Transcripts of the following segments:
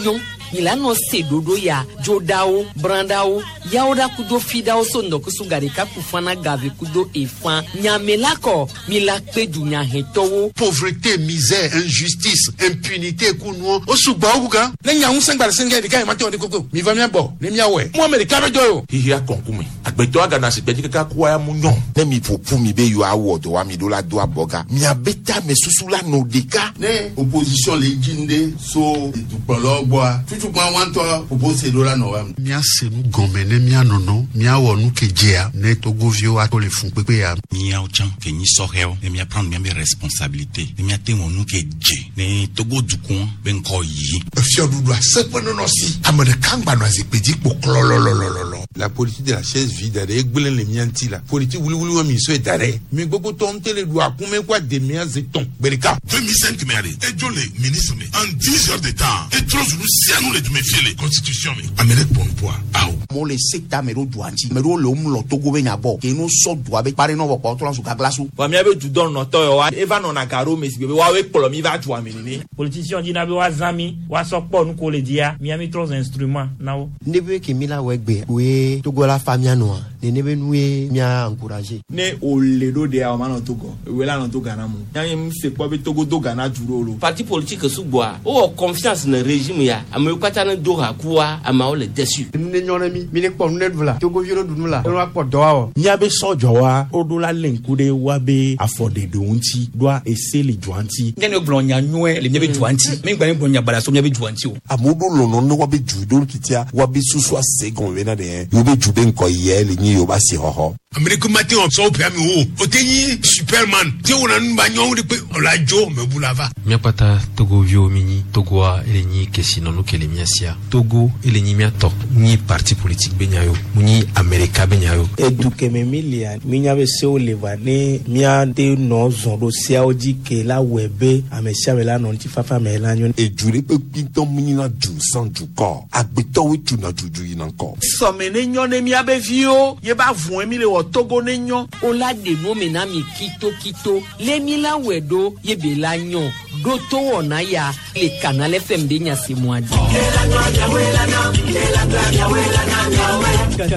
nyɔ mi la nɔ se ɖoɖo ya dzoɖawo brãɖawo yawo ɖa kudo fiɖawo so ŋdɔkusu gaɖeka ku fana gave kudo efã nyame la kɔ mi la kpe dunyahɛtɔwo. Pauvreté, misère, injustice, impunité ku nuɔ o sugbɔ wu gan. Ne nya ŋusẽ gba le sɛngɛ ɖeka yi ma te wɔ ɖe koko mi va mía gbɔ ne míawɔe mu ame ɖeka be dɔ ye o. Xixia kɔnkume agbetɔ agana si gbedzi kaka kua ya mu nyɔ. Ne mi ƒoƒu mi be yewoawɔ dɔ wa mi ɖo la do abɔga miabe tame susu la nɔ ɖeka. Ne opposition le dzi nu so dukplɔlawo gbɔa tutukpa wa ŋutɔ ƒoƒo se ɖo la nɔ wa. Míase nu gɔme ne míanɔnɔ míawɔ nu ke dzea ne togoviwo ato le fun kpekpe ya. Míawo tsã ke nyi sɔhɛwo ne míaprendre míabe responsabilité ne míate wɔ nu ke dze ne Togo dukɔ be ŋkɔ yi. Efiɔɖuɖu aseƒe nɔnɔ si ame ɖeka ŋgba nɔ azikpui dzi kpo klɔlɔlɔlɔlɔ. La politique de la chaise vide ɖe egblẽ le mía ŋuti la politique wuliwuli wa mi sɔe da ɖe mi gbogbo tɔ ŋutɔ le ɖu akume kó ademea ze tɔn gbe ɖeka. 2005 mɛ ale edzo le ministre me en 10 heures de temps etrɔ zu nu sia nu le dume fie le constitution me ame ɖe kpɔ nuƒoa awo. Amewo le se ta ame ɖewo dua ŋuti ame ɖewo le womlɔ Togo be nya gbɔ ke no sɔ dua be kpa ɖe nɔ vɔ kpɔ trɔ zu gaglasu. Vɔ míabe dudɔnɔtɔ yawoa eva nɔna ga ɖo me si gbe be woawoe kplɔ mi va dua me nene. Politicien dzina be woazã mi woasɔ kpɔ nu ko le dzia mía mi trɔ zu instrument na wo. Ne be ke mi la wɔ egbe koe Togo la fa mía nɔa nene be nue mía encourager. Ne wòle ɖo ɖea wòma nɔ Togo ewòe la nɔ to Ghana mu. Nya nye se kpɔ be Togo do Ghana du ɖo lo. Parti politique sugbɔa wowɔ confiance ne régime ya amewo katã ne do ha kua ameawo le déçu. Nu ne nyɔ ne mi mi ne kpɔ nu ne ɖu la Togoviwo ne ɖu nu la ne woakpɔ dɔ awɔ. Míabe sɔdzɔwa woɖo la lé ŋku ɖe woabe afɔɖeɖewo ŋuti ɖoa ese le dua ŋuti. Nye ne gblɔ nya nyuie le míabe dua ŋuti mi gba mi gblɔ nya baɖa so míabe dua ŋuti o. Amewo ɖo lɔlɔ ne woabe du ɖo titia woabe susu ase gɔme bena ɖe yewo be du be ŋkɔ yia le nyi yewo be asixɔxɔ. Ame ɖeke mate ŋu sɔ woƒe amewo o. Wote nyi superman te wɔna nu ba nyɔnu ɖe kpe ɔla dzo mebu la va. Míakpata Togoviwo mi nyi Togoa ele nyi kesinɔnu ke le mía sia. Togo ele nyi míatɔ nyi parti politique be nya yo mu nyi Amerika be nya yo. Edu keme mi lia mi nya be sewo le va ne míate nɔ zɔn ɖo seawo dzi ke la wɔe be ame sia ame la nɔ ŋutifafa me la nyo. Edu ɖe kpe kpitɔ mu nyina du sans dukɔ agbetɔwoe tuna dudu yina ŋkɔ. Sɔme ne nyɔ ne míabe viwo ye ba vɔe mi le wɔ Togo ne nyɔ. O la ɖe nu me na mi kitokito le mi la wɔe ɖo ye be la nyɔ ɖo to wɔna ya le Canal FM be nyasemua dzi.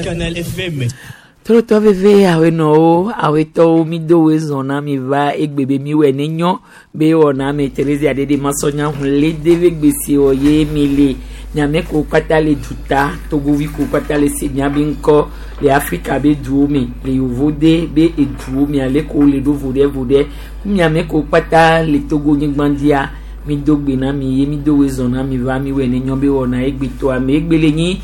Canal FM. Trɔtɔ veve awenɔwo awetɔwo mi do woe zɔn na mi va egbe be mi wɔ ne nyɔ be wɔna me Theresia ɖeɖe masɔnya hun le de be gbesi wɔ ye mi le miame ko kpata le duta togovi ko kpata le se miabe ŋkɔ le Afrika be duwo me le yovo de be eduwo me ale ko le ɖo vo ɖe vo ɖe miame ko kpata le Togo nyigba dzia mi do gbe na mi ye mi do woe zɔn na mi va mi wɔ ne nyɔ be wɔna egbetɔa me egbe le nyi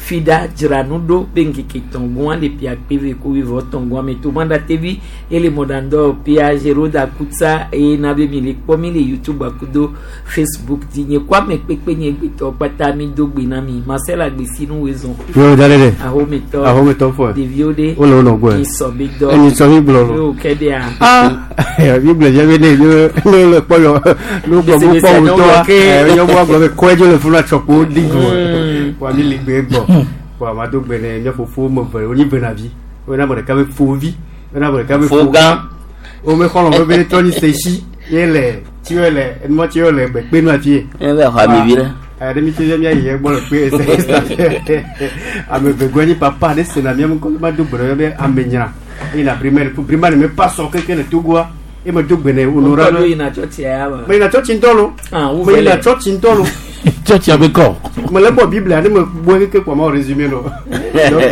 fida dzra nu ɖo be ŋkeke tɔngɔa le pia kpeve ko wivɔ tɔngɔa me to manda tevi ele mɔdandɔ pia Geroda Kutsa eye na be mi le kpɔ mi le YouTube akudo Facebook dzi nye kɔ ame kpekpe nye gbetɔ kpata mi do gbe na mi Marcel Agbesi nu woe zɔn. Yo da ɖe. Ahometɔ Ahometɔ fɔ. Ɖeviwo ɖe. Wole wo nɔ gbɔe. Nyi sɔ be dɔ. Enyi sɔ mi gblɔ lo. Yo kɛ ɖea. Ah mi gblɔ dze be ne ne ne le kpɔ yɔ ne gblɔ mo kpɔ wo tɔa ɛ yɔ mo agblɔ be kɔe dzo le funu atsɔkpo di go. Wa mi li gbe gbɔ. Wa ma do gbe ne mía fofo me ve wonyi ve na vi. Wo na ame ɖeka be fovi. Wo na ame ɖeka be Fo gã. Wo me xɔlɔ̃ be be trɔ nyi sesi ye le tsi ye le enumɔ tsi ye le gbe kpe nu afi ye. E be xɔ ami vi ɖe. Ɛ ɖe mi tse mía yi egbɔ le kpe ese ame ve gbɔ nyi papa ne sena mía ŋkɔ ma do gbe ɖe be ame nyra eye na primaire primaire me pa sɔ keke le Togoa e me do gbe ne honorable. Ŋkɔ yina tsɔtsia ya ma. Me yina tsɔtsi ŋutɔ lo. Ah, wo Me vɛ yina le. tsɔtsi ŋutɔ lo. Tsɔtsi abe kɔ. Me le bɔ Biblia ne me gbɔ keke kpɔ ma wɔ résumé lo. Donc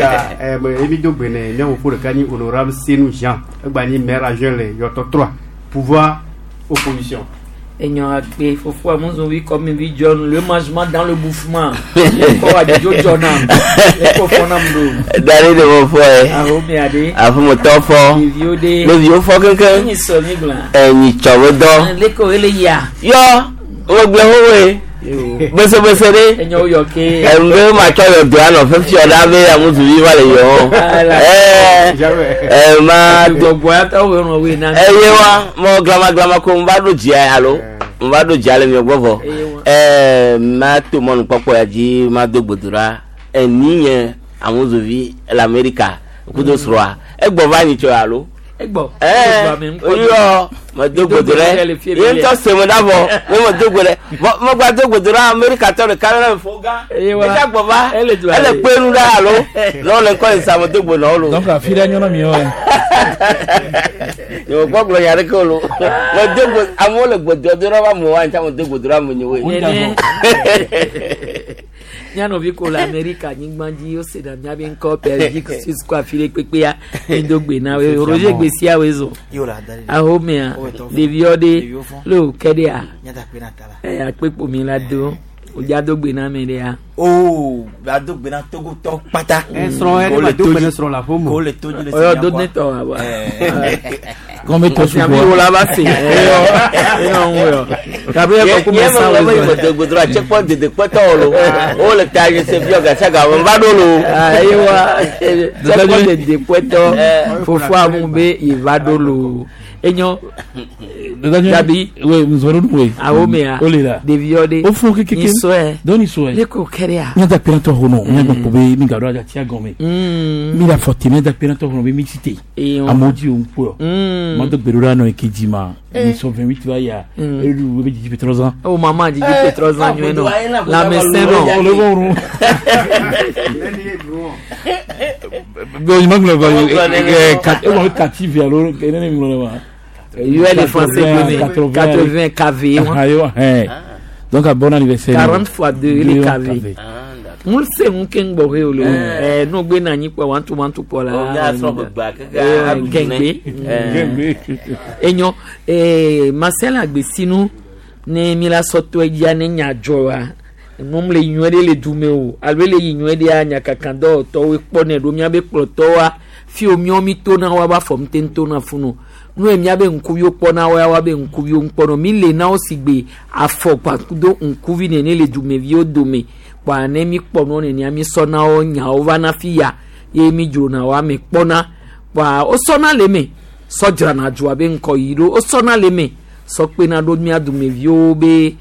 ɛ me emi do gbe ne mía fofo ɖeka nyi honorable Senou Jean egba nyi maire adjoint le Yɔtɔ 3 pouvoir opposition. Enyo akpe fofo amuzovi comme vi John le mangement dans le bouffement. Ko wa jo John am. Ko fo na mdo. Dari de mo fɔ ye. Ahome ade. Aƒemetɔ fɔ. Ɖeviwo ɖe. Ɖeviwo fɔ keŋkeŋ. Enyi sɔ mi gblɔ. Enyi tsɔ be dɔ. Le ko ele ya. Yɔ wogblẽ xoxoe. Besebese ɖe. Enyo yɔ ke. Enu ɖe ma tsɔ yɔ doa nɔ fifi ɖa be amuzuvi va le yɔ. Ɛɛ ɛ ma do. Gbɔgbɔ ya tɔ wo nɔ we na. Eye wa mɔ glama glama ko n va ɖo dzia alo n va ɖo dzia le miɔ gbɔ vɔ. Ɛɛ ma to mɔnukpɔkpɔ ya dzi ma do gbedoɖa. Eni nye amuzuvi le Amerika kudo srɔ̃a. Egbɔ va nyi tsɔ alo. Egbɔ. Ɛɛ oyɔ medo gbodo ɖe ye ŋutɔ se me ɖa vɔ ne medo gbo ɖe vɔ megba do gbodo ɖe Amerikatɔ ɖeka ɖe me fo gã eka gbɔ va ele kpe nu ɖa alo ne wole ŋkɔ yi sa medo gbo nɔ wo lo. Donc afi ɖe nyɔnɔ mi wɔ. Nye me gbɔ gblɔ nya ɖeke o lo medo gbo amewo le gbodoa do ɖe va amewo wa ŋuti medo gbodo ɖe ame nyewoe. Mía nɔvi ko le Amerika nyigba dzi wose na míabe ŋkɔ Belgique, Suisse kɔ afi ɖe kpekpea mido gbe na wo. Roger gbe sia woe zɔ. Ahomea ɖeviwo ɖe le wo ke ɖea. Akpekpo mi la do. Wòdza do gbe na ame ɖea. Oo, la do gbe na Togotɔ kpata. Srɔ̃ yɛ ne ma do gbe na srɔ̃ le aƒe me. Ko le to dzi le Ɔyɔ do ne tɔ wa ba. Gɔme tɔ sugbɔ. Miabe wo la va se. Enɔ ŋu yɔ. Gabriel kɔ kume sa wo. Ye me do gbodo ɖe tsekpɔ dedekpɔtɔ wo lo. Wo le ta yi se fiɔ gasiaga me va ɖo lo. Eye wa tsekpɔ dedekpɔtɔ fofoa mu be yi va ɖo lo. Enyo. Gabi. Oui, nous allons nous. Awo mea. O le la. Ɖeviwo ɖe. O fún kékeré. Nisɔe. Dɔw nisɔe. Ne ko kɛ ɖea. Míada kpe na tɔ xɔnɔ. Míagbɔ kpo be mi gaɖo adzatia gɔme. Mi le afɔ te míada kpe na tɔ xɔnɔ be mi tsi te. Amewo dzi wo ŋkpɔ. Ma do gbe ɖo ɖa nɔ eke dzi ma. Mi sɔ 28 va yia. Eɖu be dzidzi ƒe 3 ans. O mama dzidzi ƒe 3 ans nyuie nɔ. Lãmesẽ nɔ. O le bɔ ŋu. Bon, il manque le e kati vi alo ne ne ŋlɔ ma. UL le français 80 KV. Donc un bon anniversaire. 40 fois 2 les KV. Mun se mun ke ŋgbɔ he o le ɛ n'o gbe na anyi kpɔ wantu wantu kpɔ la. Gɛngbe. Enyo Marcel Agbesinu ne mi la sɔtɔ edzia ne nya dzɔ wa num le nyuie ɖe le dume o alo le yi nyuie ɖea nyakakadɔwɔtɔwoe kpɔnɛ ɖo míabe kplɔtɔwoa fi wo míawo mi tona woa ba fɔ ŋute tona funu nu ye míabe ŋkuviwo kpɔna woa woabe ŋkuviwo ŋkpɔnɔ mi le na wo si gbe afɔ kpakudo ŋkuvi nene le dumeviwo dome kpa ne mi kpɔ nuwo nenea mi sɔna wo nyawo va na fi ya ye mi dzrona wo ame kpɔna kpa wosɔna le me sɔ dzrana dzoa be ŋkɔ yi ɖo wosɔna le me sɔ kpena ɖo mía dumeviwo be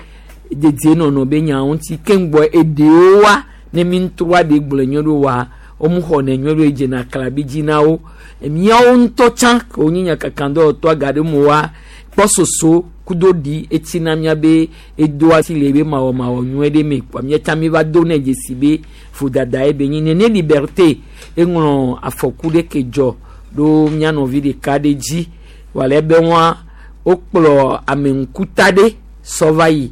dedienɔnɔ be nyawo ŋuti keŋgbɔ eɖewo wa ne mi ŋutrɔa ɖe gblɔ nyuie ɖo wa womu xɔ ne nyuie ɖo edzena klabi dzi na wo míawo ŋutɔ tsã ke wonye nyakakadɔwɔtɔ aga ɖe mo wa kpɔ soso kudo ɖi etsi na míabe edoa si le be mawɔmawɔ nyuie ɖe me kpɔ míatsa mi va do ne dzesi be vodada ye be nyi nene liberté eŋlɔ afɔku ɖe ke dzɔ ɖo mía nɔvi ɖeka ɖe dzi wòle be wa wokplɔ ame ŋkuta ɖe sɔ va yi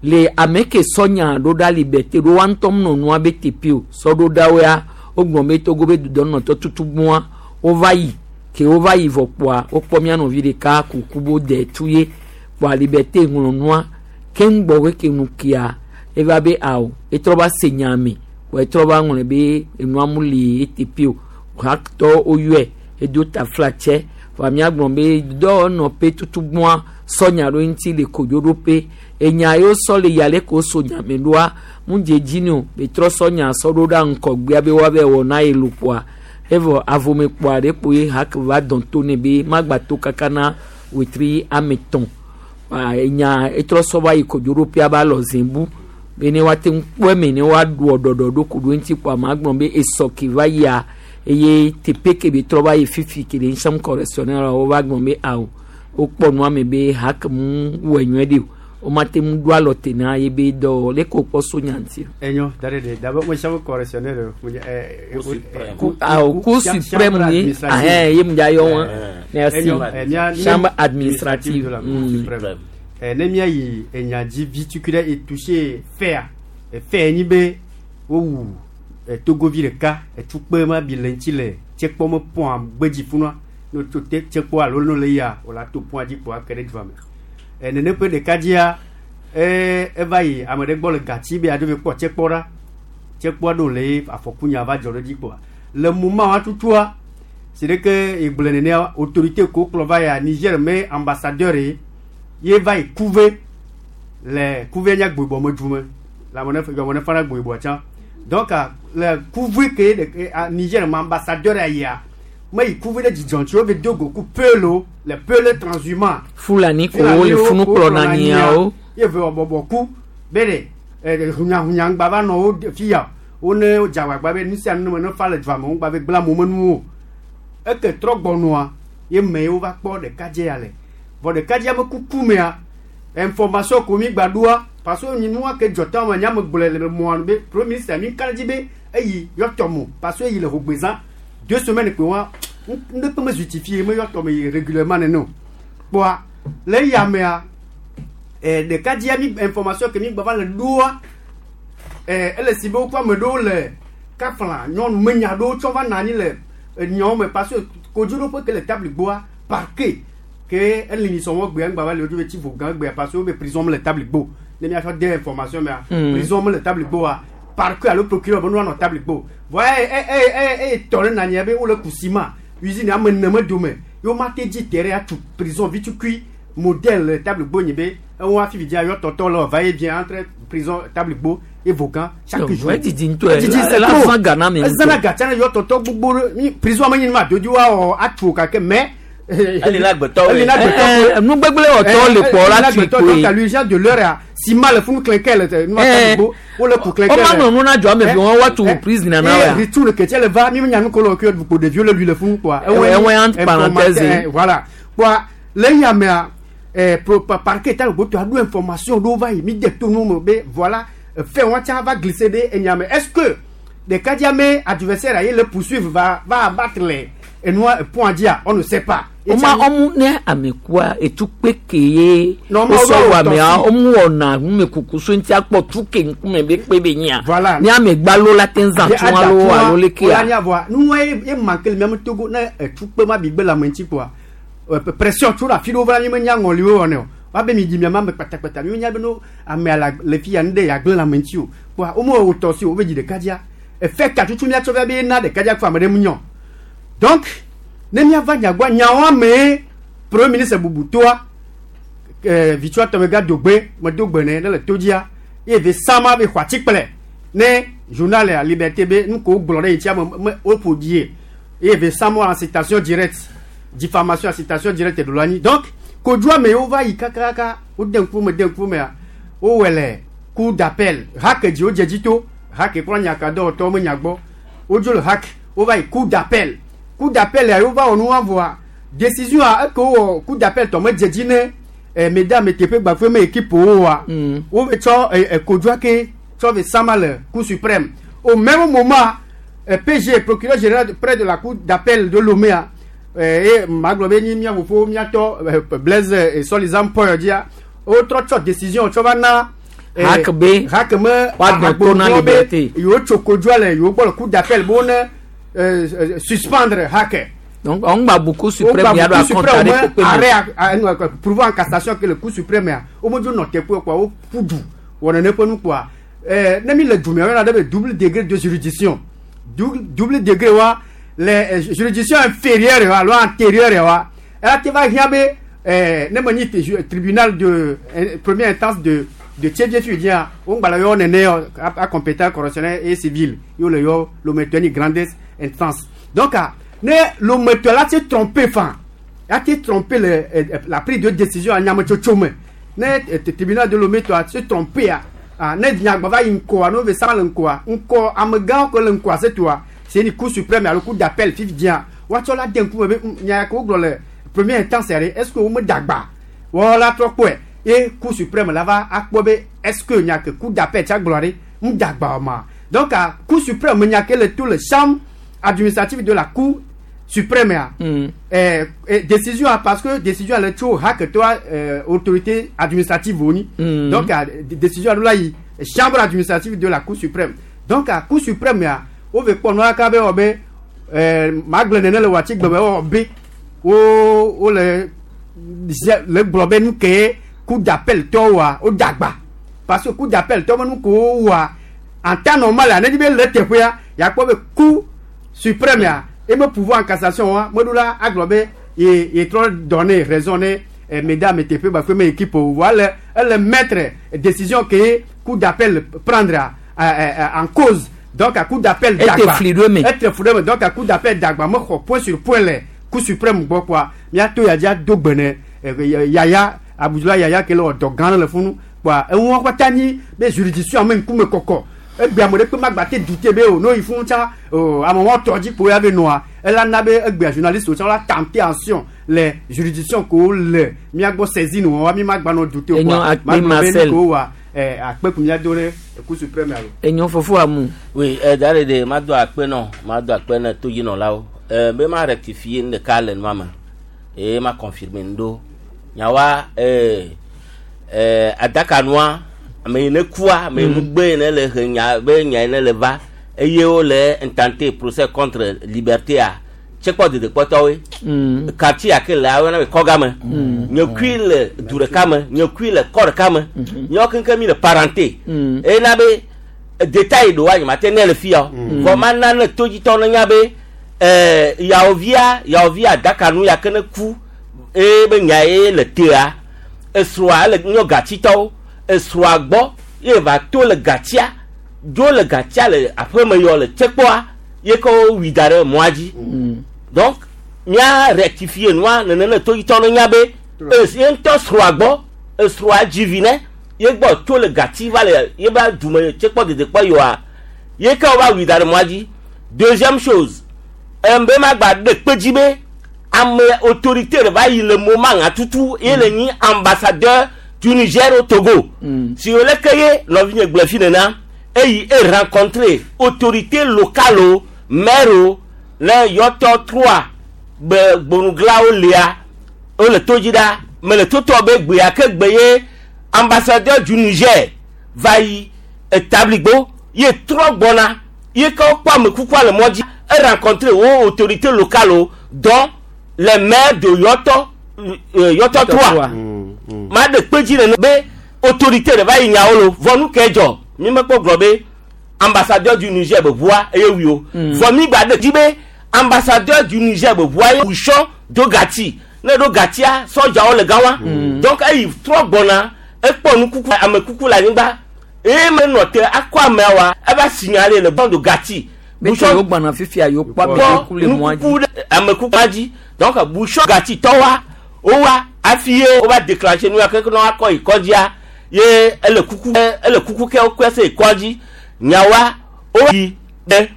le ame ke sɔ nya ɖo ɖa liberté ɖo wa ŋutɔ nɔ nua be teƒe o sɔ ɖo ɖa woa wogblɔ be Togo be dudɔnɔtɔ tutu gbɔa wova yi ke wova yi vɔ kpoa wokpɔ mía nɔvi ɖeka kuku bo de tu ye kpoa liberté ŋlɔ nua keŋ gbɔ ke nu kia eva be awo etrɔ va se nya me kpoa etrɔ va ŋlɔ be enua mu le eteƒe o haktɔ woyɔe edo taflatsɛ vɔa míagblɔ be dɔwɔnɔƒe tutu gbɔa sɔ nya ɖo ŋuti le kodzoɖoƒe enya yiwo sɔ le ya le ko so nyame ɖoa mu dze dzi ne o betrɔ sɔ nya sɔ ɖo ɖa ŋkɔgbea be woave wɔ na ye lukpoa evɔ avome kpoa ɖe kpo ye hake va dɔn to ne be magba to kaka na wetri ame tɔn enya etrɔ sɔ va yi kodzoɖoƒea ba lɔ zembu be ne woate ŋu kpɔ eme ne woaɖu ɖɔɖɔ ɖo ku ɖo ŋuti kpoa magblɔ be esɔ ke va yia eye teƒe ke be trɔ va yi fifi ke le chambre correctionnelle wova gblɔ be awo wokpɔ nua me be hake mu wɔe nyuie ɖi o womate ŋu ɖo alɔ te na ye be dɔ le ko kpɔ so nya ŋuti. Enyo da de d'abord mo chambre correctionnelle mo awo cour suprême ye ahɛn ye mu dza yɔ wɔn merci chambre administrative. Ne mía yi enya dzi vi tukui ɖe etouché fea efe nyi be wowu Togovi ɖeka etukpe ma bi le ŋuti le tsekpɔ me pɔn gbedzi funua ne tso te tsekpɔ alo ne le yia wòle to pɔn dzi kpɔ ake ɖe dua me. Nene ƒe ɖeka dzia eva yi ame ɖe gbɔ le gatsi be aɖo be kpɔ tsekpɔ ɖa tsekpɔa ɖo le afɔkunya va dzɔ ɖe dzi kpɔa le moma wa tutua si ɖeke egblẽ nenea autorité ko kplɔ va ya Niger me ambassadeur ye ye va yi kuve le kuve nya gbogbɔ me du me le ame ne yɔmɔ ne fana gbogbɔ tsã donc le kuve ke ɖe Niger me ambassadeur yia me yi kuve ɖe dzidzɔ ŋuti wo be do go ku pelo le pelo transhumant. Fulani ko wo le funu kplɔ na nyiawo. Ye ve bɔbɔ ku be ɖe hunyahunya ŋgba va nɔ wo fi ya wo ne dzagbagba be nu sia nu me ne fa le dua me ŋgba be gblẽ amewo me nuwo eke trɔ gbɔnua Ye me wova kpɔ ɖekadze ya le. Vɔ ɖekadzea me kuku mea, information ko mi gba ɖoa, parce que nua ke dzɔ tã me nya me gblɔe le mɔa nu be premier ministre mi ka ɖe dzi be eyi yɔtɔ mo parce que eyi le hogbezã deux semaines kpe wa ŋɖe kpe me justifié me yɔtɔ me yi régulièrement nene o. Kpɔa le eya mea, ɖekadzea mi information ke mi gba va le ɖoa, ele si be woƒe ame ɖewo le kafla nyɔnu menya ɖewo tsɔ va nɔ anyi le enyawo me parce que kodzoɖoƒe ke le table gbɔa parquet ke eli ni sɔmɔ gbea ŋgba va le wodzo be tsi vo gã gbea parce que wo be prison me le table gbɔ ne miatsɔ de information mea prison me le table gbɔa parquet alo procureur be nu anɔ table gbɔ vɔa e e e e tɔ ɖe nanyia be wole ku ciment usine ame ene me dome ye wo ma te dzi terrain atu prison vitukui modèle le table gbɔ nyi be eŋu hafi vidzia yɔ tɔtɔ le va et vient entre prison table gbɔ et vogan chaque jour. Edidi ŋutɔ ye la zã ga na mi ŋutɔ. Ezana ga tsana yɔ tɔtɔ gbogbo ɖe mi prison me nyi ma dodo wa wɔ atu o gake mais. Eli na agbetɔwoe. Eli na agbetɔwoe. Nu gbegblẽ wɔtɔwo le kpɔ la tui koe. Donc à l'urgence de l'heure a ciment le funu klɛnkɛn le nu ma table gbɔ wole ku klɛnkɛn. Woma nɔ nu na dzɔ ame vi wɔn woatu prison na wa. Ritu le kɛtɛ le va mi nya nu ko le kɛ kpo ɖeviwo le lui le funu kpoa. Ewɔe entre parenthèse. Voilà kpoa le ya mea pro parquet ta gbogbo aɖo information ɖewo va yi mi de to nu me be voilà fɛn wa tsa va glisser ɖe enya me est ce que ɖekadzia me adversaire ye le poursuivre va va abattre le enua point dzia on ne sait pas. Woma ɔmu ne amekua etukpe ke ye wosɔ wɔ amea ɔmu wɔna numekuku so ŋuti akpɔ tu ke ŋkume be kpe be nyia. Voilà. Ne amegbalo la te zã tu alo alo leke ya. Wòle anya nua ye ye manque le miame Togo ne etukpe ma bi gbe le ame ŋuti kpoa pression tso ɖe afi ɖewo va mi menya ŋɔliwo wɔnɛ o woabe mi dzi miame ame kpatakpata mi menya be no amea le le fi ya nu ɖe yeagblẽ le ame ŋuti o kpoa wome wɔ tɔ si o wobe dzi ɖeka dzia efe ka tutu miatsɔ via be na ɖeka dzia kpɔ ame ɖe mu nyɔ donc ne miava nyagbɔ nyawo amee premier ministre bubutoa vitsua tɔmega dogbe medo gbe ne ne le to dzia ye ve sama be xɔ atikplɛ ne journal ya liberté be nu ko gblɔ ɖe yi tia me me woƒo die ye ve sama en citation directe diffamation en citation directe ɖo la anyi donc kodzoa me wova yi kakaka wode ŋkume de ŋkumea wowɔ le cour d'appel hake dzi wodze dzi to hake kura nyakadɔwɔtɔwo me nya gbɔ wodzo le hake wova yi cour d'appel cour d'appel ya wova wɔ nua vɔa décision a eke wowɔ cour d'appel tɔ medze dzi ne mesdames teƒe gbafue me équipe woa wove tsɔ kodzoa ke tsɔ ve sama le cour suprême au même moment PG procureur général près de la cour d'appel de Lomé eye magblɔ be nyi mía fofo míatɔ Blaise Solizam Paul dzia wotrɔ tsɔ décision tsɔ va na hake be hake me woagbɔ to na liberté yewo tso kodzoa le yewo gbɔ le cour d'appel be wone suspendre hake. Donc on gba bu cour suprême ya ɖo akɔnta ɖe kpekpe me. Arrêt pourvoi en cassation ke le cour suprême ya womedzo nɔ teƒe kpoa woƒu du wɔ nene ƒe nu kpoa ne mi le dume woyɔna ɖe be double degré de juridiction double degré wa les juridictions inférieures alo antérieures wa ela te va hiã be ne me nyi tribunal de première instance de de fi dzia wo ŋgba le yɔ nene yɔ a compétent correctionnel et civil ye wole yɔ lometɔ ni grande instance donc ne lometɔ la te tromper fan la te tromper le la prise de décision anyametsotso me ne tribunal de Lomé tɔ se tromper a ne nyagba va yi ŋkɔa ne wo sama le ŋkɔa ŋkɔ amegãwo ke le ŋkɔa se toa c'est une cour suprême alo cour d'appel fifi dzia woatsɔ la de ŋkume be nya ke wogblɔ le première instance ɖe est ce que wo me dagba wɔ la trɔ kpɔe ye cour suprême la va akpɔ be est ce que nya ke cour d'appel tsa gblɔ ɖe ŋu dagba o ma donc a cour suprême nya ke le to le chambre administrative de la cour suprême ya décision a parce que décision le tso hake toa autorité administrative woni donc a décision a ɖo la yi chambre administrative de la cour suprême donc a cour suprême ya wove kpɔ nua ka be wɔ be magblẽ nene le wòatsi gbe be wɔ be wo wole le gblɔ be nu ke cour d'appel tɔ wɔa wo dagba parce que cour d'appel tɔ be nu ko wɔa en temps normal a ne dzi be le teƒea yakpɔ be cour suprême ya ebe pouvoir en cassation wa meɖo la agblɔ be ye ye trɔ donner raison ne mesdames teƒe gbafe me équipe o voa ele ele mettre décision ke cour d'appel prendre en cause donc à cour d'appel dagba ete fli ɖo eme donc à cour d'appel dagba mexɔ point sur point le cour suprême gbɔ kpoa míato ya dzi ado gbe ne yaya abudula yaya ke le wɔ dɔ gã le funu kpoa eŋua katã nyi be juridiction ame ŋkume kɔkɔ Egbe ame ɖe kpe magba te du te be o no yi fún tsa o ame wɔn tɔ dzi kpo ya be nɔa ela na be egbea journaliste wo tsã la tenter action le juridiction ko le miagbɔ saisine wɔn wa mi magba nɔ du te o Enyo kpoa akpe magblɔ be Marcel. nu ko wa ɛ akpe kun mia do ɖe cour suprême alo. Enyo fofo amu. Oui, da ɖe ɖe mado akpe nɔ, mado akpe ne todzinɔlawo. Be ma rectifier nu ɖeka le nua me eye ma confirmer nu ɖewo. Nyawoa adaka nua ame yi ne kua, ame yi nugbe yi ne le he nya be nya yi ne le va eye wole intenter procès contre liberté a tsekpɔ dedekpɔtɔwoe. Quartier ya ke le woyɔna be kɔgame. Nye kui le du ɖeka me, nye kui le kɔ ɖeka me. Míawo keŋkeŋ mi le parenté. Eye na be détail ɖewoa nye mate nɛ le fia o. Vɔ mana ne todzitɔwo ne nya be yawovia yawovia adaka nu ya ke ne ku eye be nya ye le tea esrɔ̃a ele nyɔ gatsitɔwo esrɔ̃a gbɔ ye va to le gatsia dzo le gatsia le aƒeme yɔ le tsekpɔa ye ke wowui da ɖe mɔa dzi. Donc mía rectifier nua nene ne todzitɔwo ne nya be ye ŋutɔ srɔ̃a gbɔ esrɔ̃a dzi vi ne ye gbɔ tso le gatsi va le ye ba dume tsekpɔ dedekpɔ yɔa ye ke wova wui da ɖe mɔa dzi. Deuxième chose, be magba ɖe kpe dzi be ame autorité ɖe va yi le moment ŋa tutu ye le nyi ambassadeur du Niger au Togo. Si wo leke ye nɔvinye gblɔ fi nena eyi e rencontrer autorité locale o maire o le yɔtɔ trois be gbonuglawo lia wole to dzi ɖa mele totɔ be gbea ke gbe ye ambassadeur du Niger va yi etabligbo ye trɔ gbɔna ye ke wokpɔ amekukua le mɔ dzi e rencontrer wo autorité locale o dont le maire de yɔtɔ yɔtɔ trois ma ɖe kpe dzi nene be autorité ɖe va yi nyawo lo vɔ nu ke dzɔ mi mekpɔ gblɔ be ambassadeur du Niger be ʋua eye wi o vɔ mi gba ɖe dzi be ambassadeur du Niger be ʋua ye bouchon do gati ne ɖo gatia sɔdzawo le gã wa donc eyi trɔ gbɔna ekpɔ nukuku amekuku le anyigba eye menɔ te akɔ amea wa eva signaler le bande gati Bouchon yo gbana fifia yo kpɔ amekuku le mɔa dzi. nukuku ɖe amekukua dzi donc bouchon gati tɔ wa wowa hafi ye wova déclencher nu ya ke ne woakɔ yi kɔdzia ye ele kuku ele kuku ke wokɔe se yi kɔdzi nyawa wo yi ɖe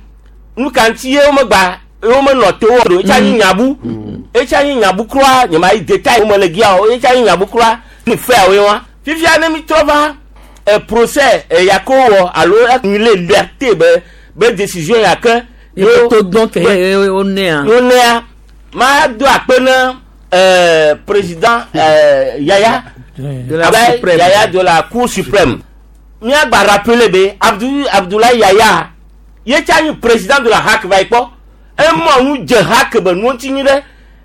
nu ka ŋuti ye womegba ye womenɔ te wo ɖo etsa nyi nyabu etsa nyi nyabu kura nye ma yi détail wo me le gia o etsa nyi nyabu kura ni fɛawoe wa fifia ne mi trɔ va procès ya ke wowɔ alo annulé liberté be décision ya ke Ye to dɔn ke wo nea. wo nea ma do akpe ne président Yaya De la Abdoulaye Suprême. Yaya de la Cour suprême míagba rappeler be Abdoulaye Yaya ye tsa nyi président de la HAC va yi kpɔ emɔ nu dze HAC be nuwo ŋuti nyi ɖe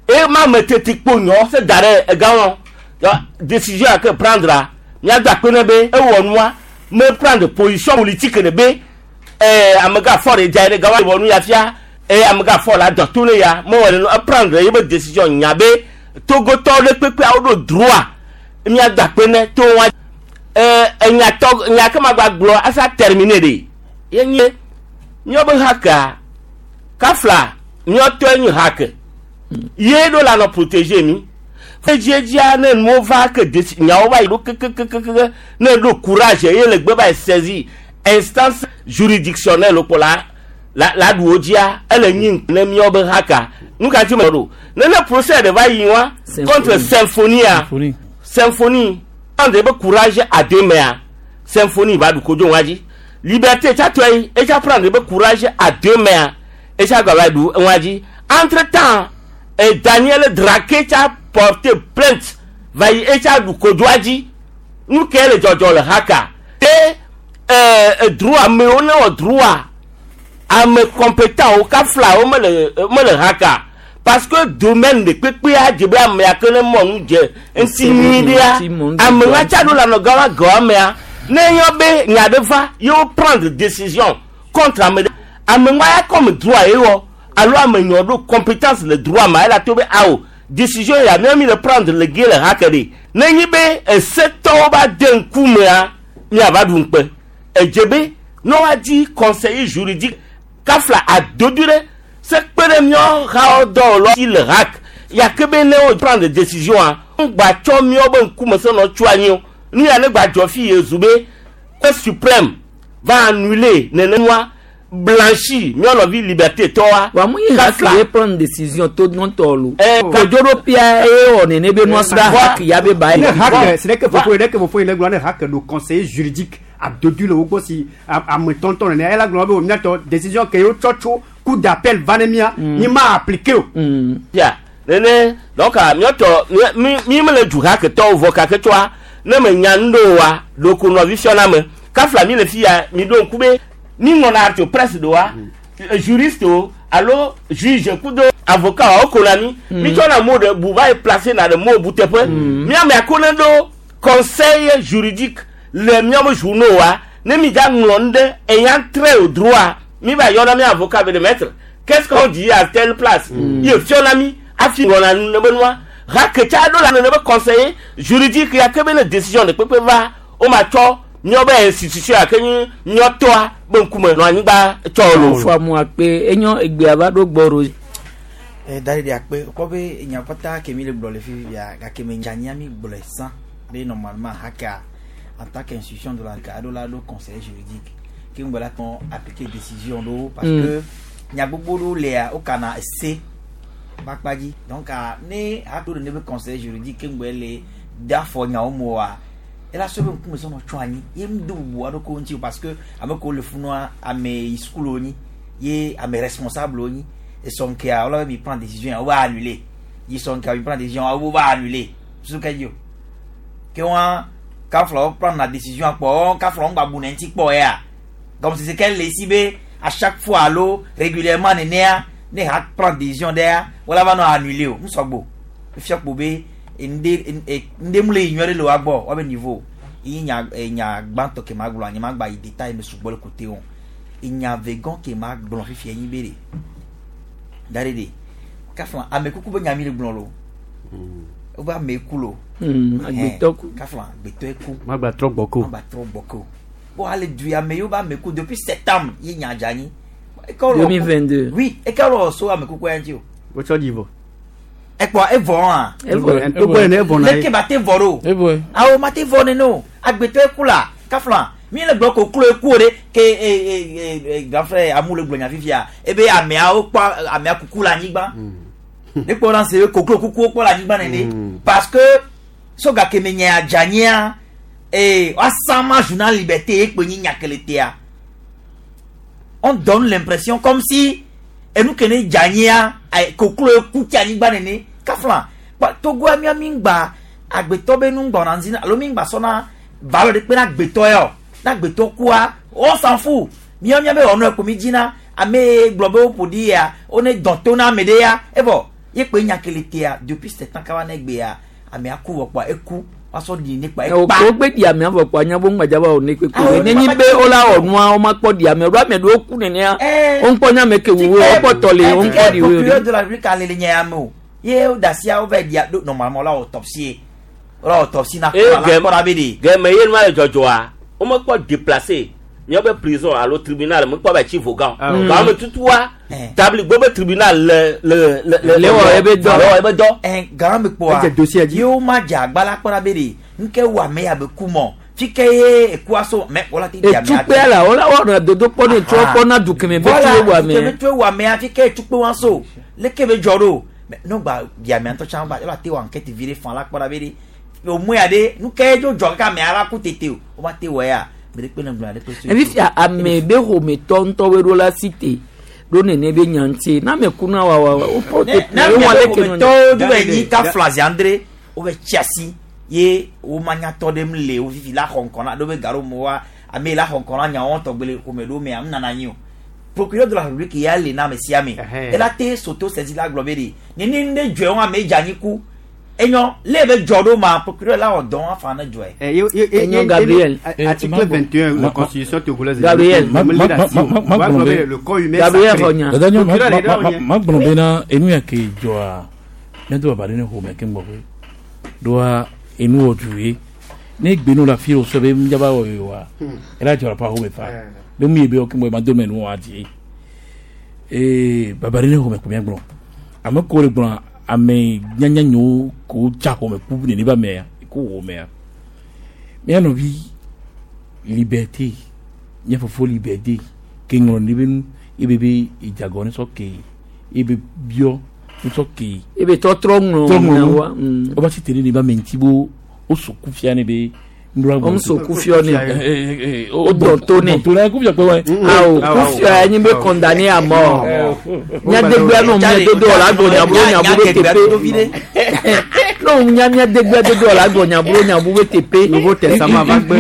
eye ma me tete kpo nyɔ se da ɖe egã wɔn décision ya ke prendre míado akpe ne be ewɔ nua me prendre position politique ɖe be amegã fɔ ɖe dza yi ɖe gã wa wɔ nu ya fia eye amegã fɔ la dɔ to ne ya mewɔ ɖe nu eprendre ye be décision nya be togotɔwo ɖe kpekpeawo ɖo droit míado akpe ne to wa enyatɔ nya ke ma gba gblɔ asa terminer ɖe ye nye míawo be hakea kafla míawo nyi hake ye ɖo la nɔ protéger mi edziedzia ne nuwo va ke desi nyawo va yi ɖo kekekekeke ne ɖo courage ye le gbe va yi saisir instance juridictionnelle kpo la la la ɖu wo dzia ele nyi ne míawo be haka nu ka ti me ɖo ne ne procès ɖe va yi wa contre symphonie symphonie prendre be courage à deux mains symphonie va ɖu kodzo wa dzi liberté tsatɔ yi etsa prendre be courage à deux mains etsa gba va ɖu wa dzi entre temps et Daniel Draké tsa porté plainte va yi etsa ɖu kodzoa dzi nu ke le dzɔdzɔ le haka te droit amewo ne wɔ droit ame compétent wo kafla wo mele mele haka parce que domaine de kpekpea dze be amea ke ne mɔ nu dze ŋuti nyui ɖea ame ŋa tsa ɖo le anɔ gã wa gɔ amea ne yɔ be nya ɖe va ye wo prendre décision contre ame ɖe ame ŋa ya comme droit ye wɔ alo ame nyɔ ɖo compétence le droit ma ela to be awo décision ya ne mi le prendre le ge le hake ɖe ne nyi be esetɔwo va de ŋkumea miava ɖu ŋukpe edze be ne woadi conseiller juridique kafla adodo ɖe se kpe ɖe míawo hawo dɔwɔlawo si le hak yake be ne wo prendre décision a ŋgba tsɔ míawo be ŋkume se nɔ tso anyi o nu ya ne gba dzɔ fi ye zu be cour suprême Va annuler nenema blanchi míanɔvi liberté tɔwa. Wa mu yi haki ye prendre décision to ŋutɔ lo. Kodzoɖoƒea ye wɔ nene be nua sra haki ya be ba ye. Ne hake c'est que fofo ye ke fofo ye le gblɔ ne hake ɖo conseiller juridique adodo le wo gbɔ si ame tɔntɔn nene ela gblɔ be o miatɔ décision ke yewo tsɔ tso cour d'appel va ne mia mi ma appliquer o. Ya nene donc miatɔ mi mi mele du hake tɔwo vɔ kake tsɔa ne me nya nu ɖo wa ɖoko nɔvi fiɔna me kafla mi le fi ya mi ɖo ŋku be mi ŋlɔna artio presse ɖoa juriste o alo juge kudo avocat o kona mi mi tsɔna mo ɖe bu va yi placer na ɖe mo bu teƒe miame ako ne ɖo conseil juridique le miame journaux wa ne mi dza ŋlɔ nu ɖe ayant trait au droit mi va yɔna mi avocat be de maître qu'est-ce qu'on dit à telle place ye fiɔna mi afi ŋlɔna nu ne be nua haketsa ɖo la ne be conseiller juridique ya ke be ne décision de kpekpe va o ma tsɔ míawo be institution ya ke nyi míatɔa be ŋkume nɔ anyigba tsɔ lo. Fɔ amu akpe enyo egbea va ɖo gbɔ ɖo. Da ɖe akpe kpɔ be nya kpata ke mi le gblɔ le fifi bia gake me dzanyia mi gblɔe sã be normalement hakea en tant qu'institution de la aɖo la ɖo conseil juridique ke ŋgbe la tɔn appliquer décision ɖo parce que nya gbogbo ɖewo lea wokana ese va kpa dzi donc ne haɖo ɖe ne be conseil juridique ke ŋgbe le de afɔ nyawo me oa ela sɔ be ŋkume sɔnɔ tsɔ anyi ye ŋu do bubu aɖe ko ŋuti o parce que ame kewo le funua ame yi sukulu wonyi ye ame responsable wonyi esɔ ŋkea wola be mi prend décision ya wo va annuler yi sɔ ŋkea mi prend décision wo va annuler susu ke dzi o ke wa kafla wo prendre la décision kpɔ kafla wo ŋgba bu ne ŋuti kpɔ ya comme si c'est qu'elle le si be à chaque fois alo régulièrement nenea ne ha prendre décision ɖea wola va nɔ annuler o ŋusɔgbo efia kpo be nde nde mu le yi nyuie ɖe le wa gbɔ wa be niveau yi nya nya gbãtɔ ke ma gblɔ anyi ma gba yi détail me sugbɔ le côté o nya vegɔn ke ma gblɔ fifia nyi be de da ɖe de kafla ame kuku be nya mi le gblɔ lo wo be ame ku lo agbetɔ ku kafla agbetɔ ku ma gba trɔ gbɔ ko ma gba trɔ gbɔ ko bon ale du ame yiwo be ame ku depuis septembre ye nya dza anyi. 2022. Oui, eke lɔ so ame kuku ya ŋuti o. Wotsɔ dzi vɔ. Ekpɔ evɔ hã. Evɔ. Togbɔ ene evɔ na ye. Leke ba te vɔ ɖo. Evɔ. Awo ma te vɔ nene o. Agbetɔ eku la kafla mi le gblɔ koklo eku o de ke e e e grand frère amu le gblɔ nya fifia ebe ameawo kpɔ amea kuku le anyigba. Ne kpɔ na se be koklo kukuwo kpɔ le anyigba nene parce que so gake me nye adzanyia ee woasama journal liberté ye kpe nyi nyakeletea on donne l'impression comme si enu ke ne dzanyia koklo eku tsi anyigba nene kafla togoa mía mi ŋgba agbetɔ be nu ŋgbɔna ŋdi alo mi ŋgba sɔna valeur ɖe kpe na agbetɔ ya o na agbetɔ kua on s'en fout mía mía be wɔnɔ ko mi dzina ame gblɔ be woƒo ɖi ya wone dɔn to na ame ɖe ya evɔ ye kpe nyakeletea depuis sept ans kaba ne gbea amea ku vɔ kpɔa eku woasɔ ɖi ne kpa ekpa. O gbe di amea vɔ kpɔa nya bo ŋgbadza ba o ne kpekpe ne nyi be wola wɔ nua wo ma kpɔ di amea ɖo ame ɖewo ku nenea wo ŋkpɔ nya me ke wu wo kpɔ tɔ le wo ŋkpɔ di wo. Procureur de la République ale le nye ame o ye wo da asia wo va di do normalement wola autopsie wola autopsie na kpɔ la kpɔ ɖa be de. Gɛmɛ ye nua le dzɔdzɔa wo me kpɔ déplacer míaƒe prison alo tribunal me kpɔ ba tsi vogan gan me tutua tabli gbɔ be tribunal le le le le wɔ ebe dɔ le wɔ ebe dɔ. Gan me kpɔa yewo ma dze agba la kpɔ ɖa be de nuke wɔ ame ya be ku mɔ fi ke ye ekua so mɛ wala ti di amea. Etukpe la wala wɔna dodo kpɔ ne tso kpɔ na du kɛmɛ be tso wɔ amea. Voilà kɛmɛ tso wɔ amea fi ke etukpe wa so leke be dzɔ ɖo mɛ n'o gba di amea ŋutɔ tsã ba yɔrɔ te wɔ enquête vi ɖe fan la kpɔ ɖa be de o mu ya de nuke dzo dzɔ kaka amea la ku tete o o ma te wɔ ya. Evi fia ame be xometɔ ŋutɔ woe ɖo la si te ɖo nene be nya ŋuti na ame ku na wawa wo porte ne ame xometɔwo do be nyi ka fla zi andre wo be tsi asi ye wo ma nyatɔ ɖe le wo fifi la xɔ ŋkɔ na ɖo be gaɖo mo wa ame la xɔ ŋkɔ na nyawo tɔgbe le xɔme ɖo mea nana anyi o procureur de la République ya le na ame sia ame ela te soto sɛsi la gblɔ be de nene ne dzɔe wɔn ame dze anyi ku enyɔ le be dzɔ ɖo ma procureur la wɔ dɔn afa ne dzɔe. Enyo Gabriel. Article 21 la constitution togolaise. Gabriel. Le corps humain Gabriel Fonya. Ma gblɔ bena enu ya ke dzɔa ne do baba ɖe ne xɔme ke ŋgbɔ ƒe ɖoa enu wɔ du ye ne gbe nu le afi wo sɔ be ŋdzaba wɔ ye wa ela dzɔ pa xɔme fa be mu ye be ke ŋgbɔ ma do me nu wa dzi ee baba ɖe ne xɔme ko mía gblɔ ame ko le gblɔ ame nyanya nyiwo ko dza xɔme ku nene ba mea ko wɔ mea mía nɔvi liberté Mía fofo Liberté ke ŋlɔ nu be nu ebe be edzagɔ ne sɔ ke ebe biɔ ne sɔ ke. Ebe tɔtrɔ ŋlɔ Trɔ ŋlɔ nu. wa. Woba si te ɖe ne ba me ŋuti bo woso kufia ne be nuɖoa Wɔm so kufiɔ ne. O dɔn to ne. To ne kufia kpe wa. Awo kufia ye nye be condamné à mort. Nyadegbea nɔ mía dodo la gbɔ nyaburo nyaburo teƒe. Nɔ nya mía degbea dodo la gbɔ nyaburo nyaburo teƒe. Nouveau Testament va gbe.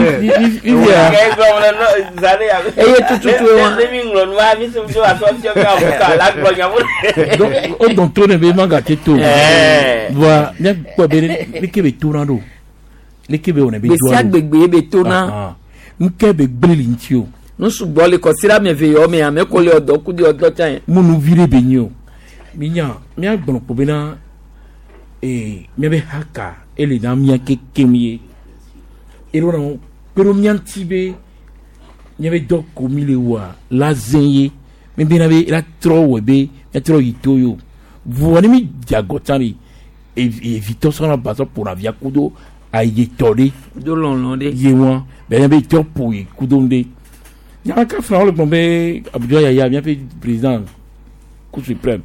Eye tututu wa. Donc o dɔn to ne be maga te to. Voa mía kpɔ be leke be to na ɖo. Leke be wɔnɛ be Gbe doa sia ɖo. gbegbe ye be to na. Ah, Nuke be gblẽ le ŋuti o. Nu sugbɔ le kɔsira me ve yɔ me ame ko le ɔdɔ ku de ɔdɔ tsã ye. Munu vi ɖe be nyi o. Minya míagblɔ kpo bena ee míabe haka ele na mía kekem ye. Eɖo na kpe ɖo mía ŋuti be míabe dɔ ko mi le wɔa la zẽ ye. Mi bena be la trɔ wɔe be míatrɔ yi to ye o. Voa ne mi dze agɔ tsã ɖe evitɔ sɔna ba sɔ ƒona via kudo ayetɔ ɖe. Do lɔlɔ ɖe. Ye wɔn bɛnɛ be tɔ ƒo ye kudo nu ɖe. Nyaka fana wole gblɔ be Abdoulaye Yaya míaƒe président cour suprême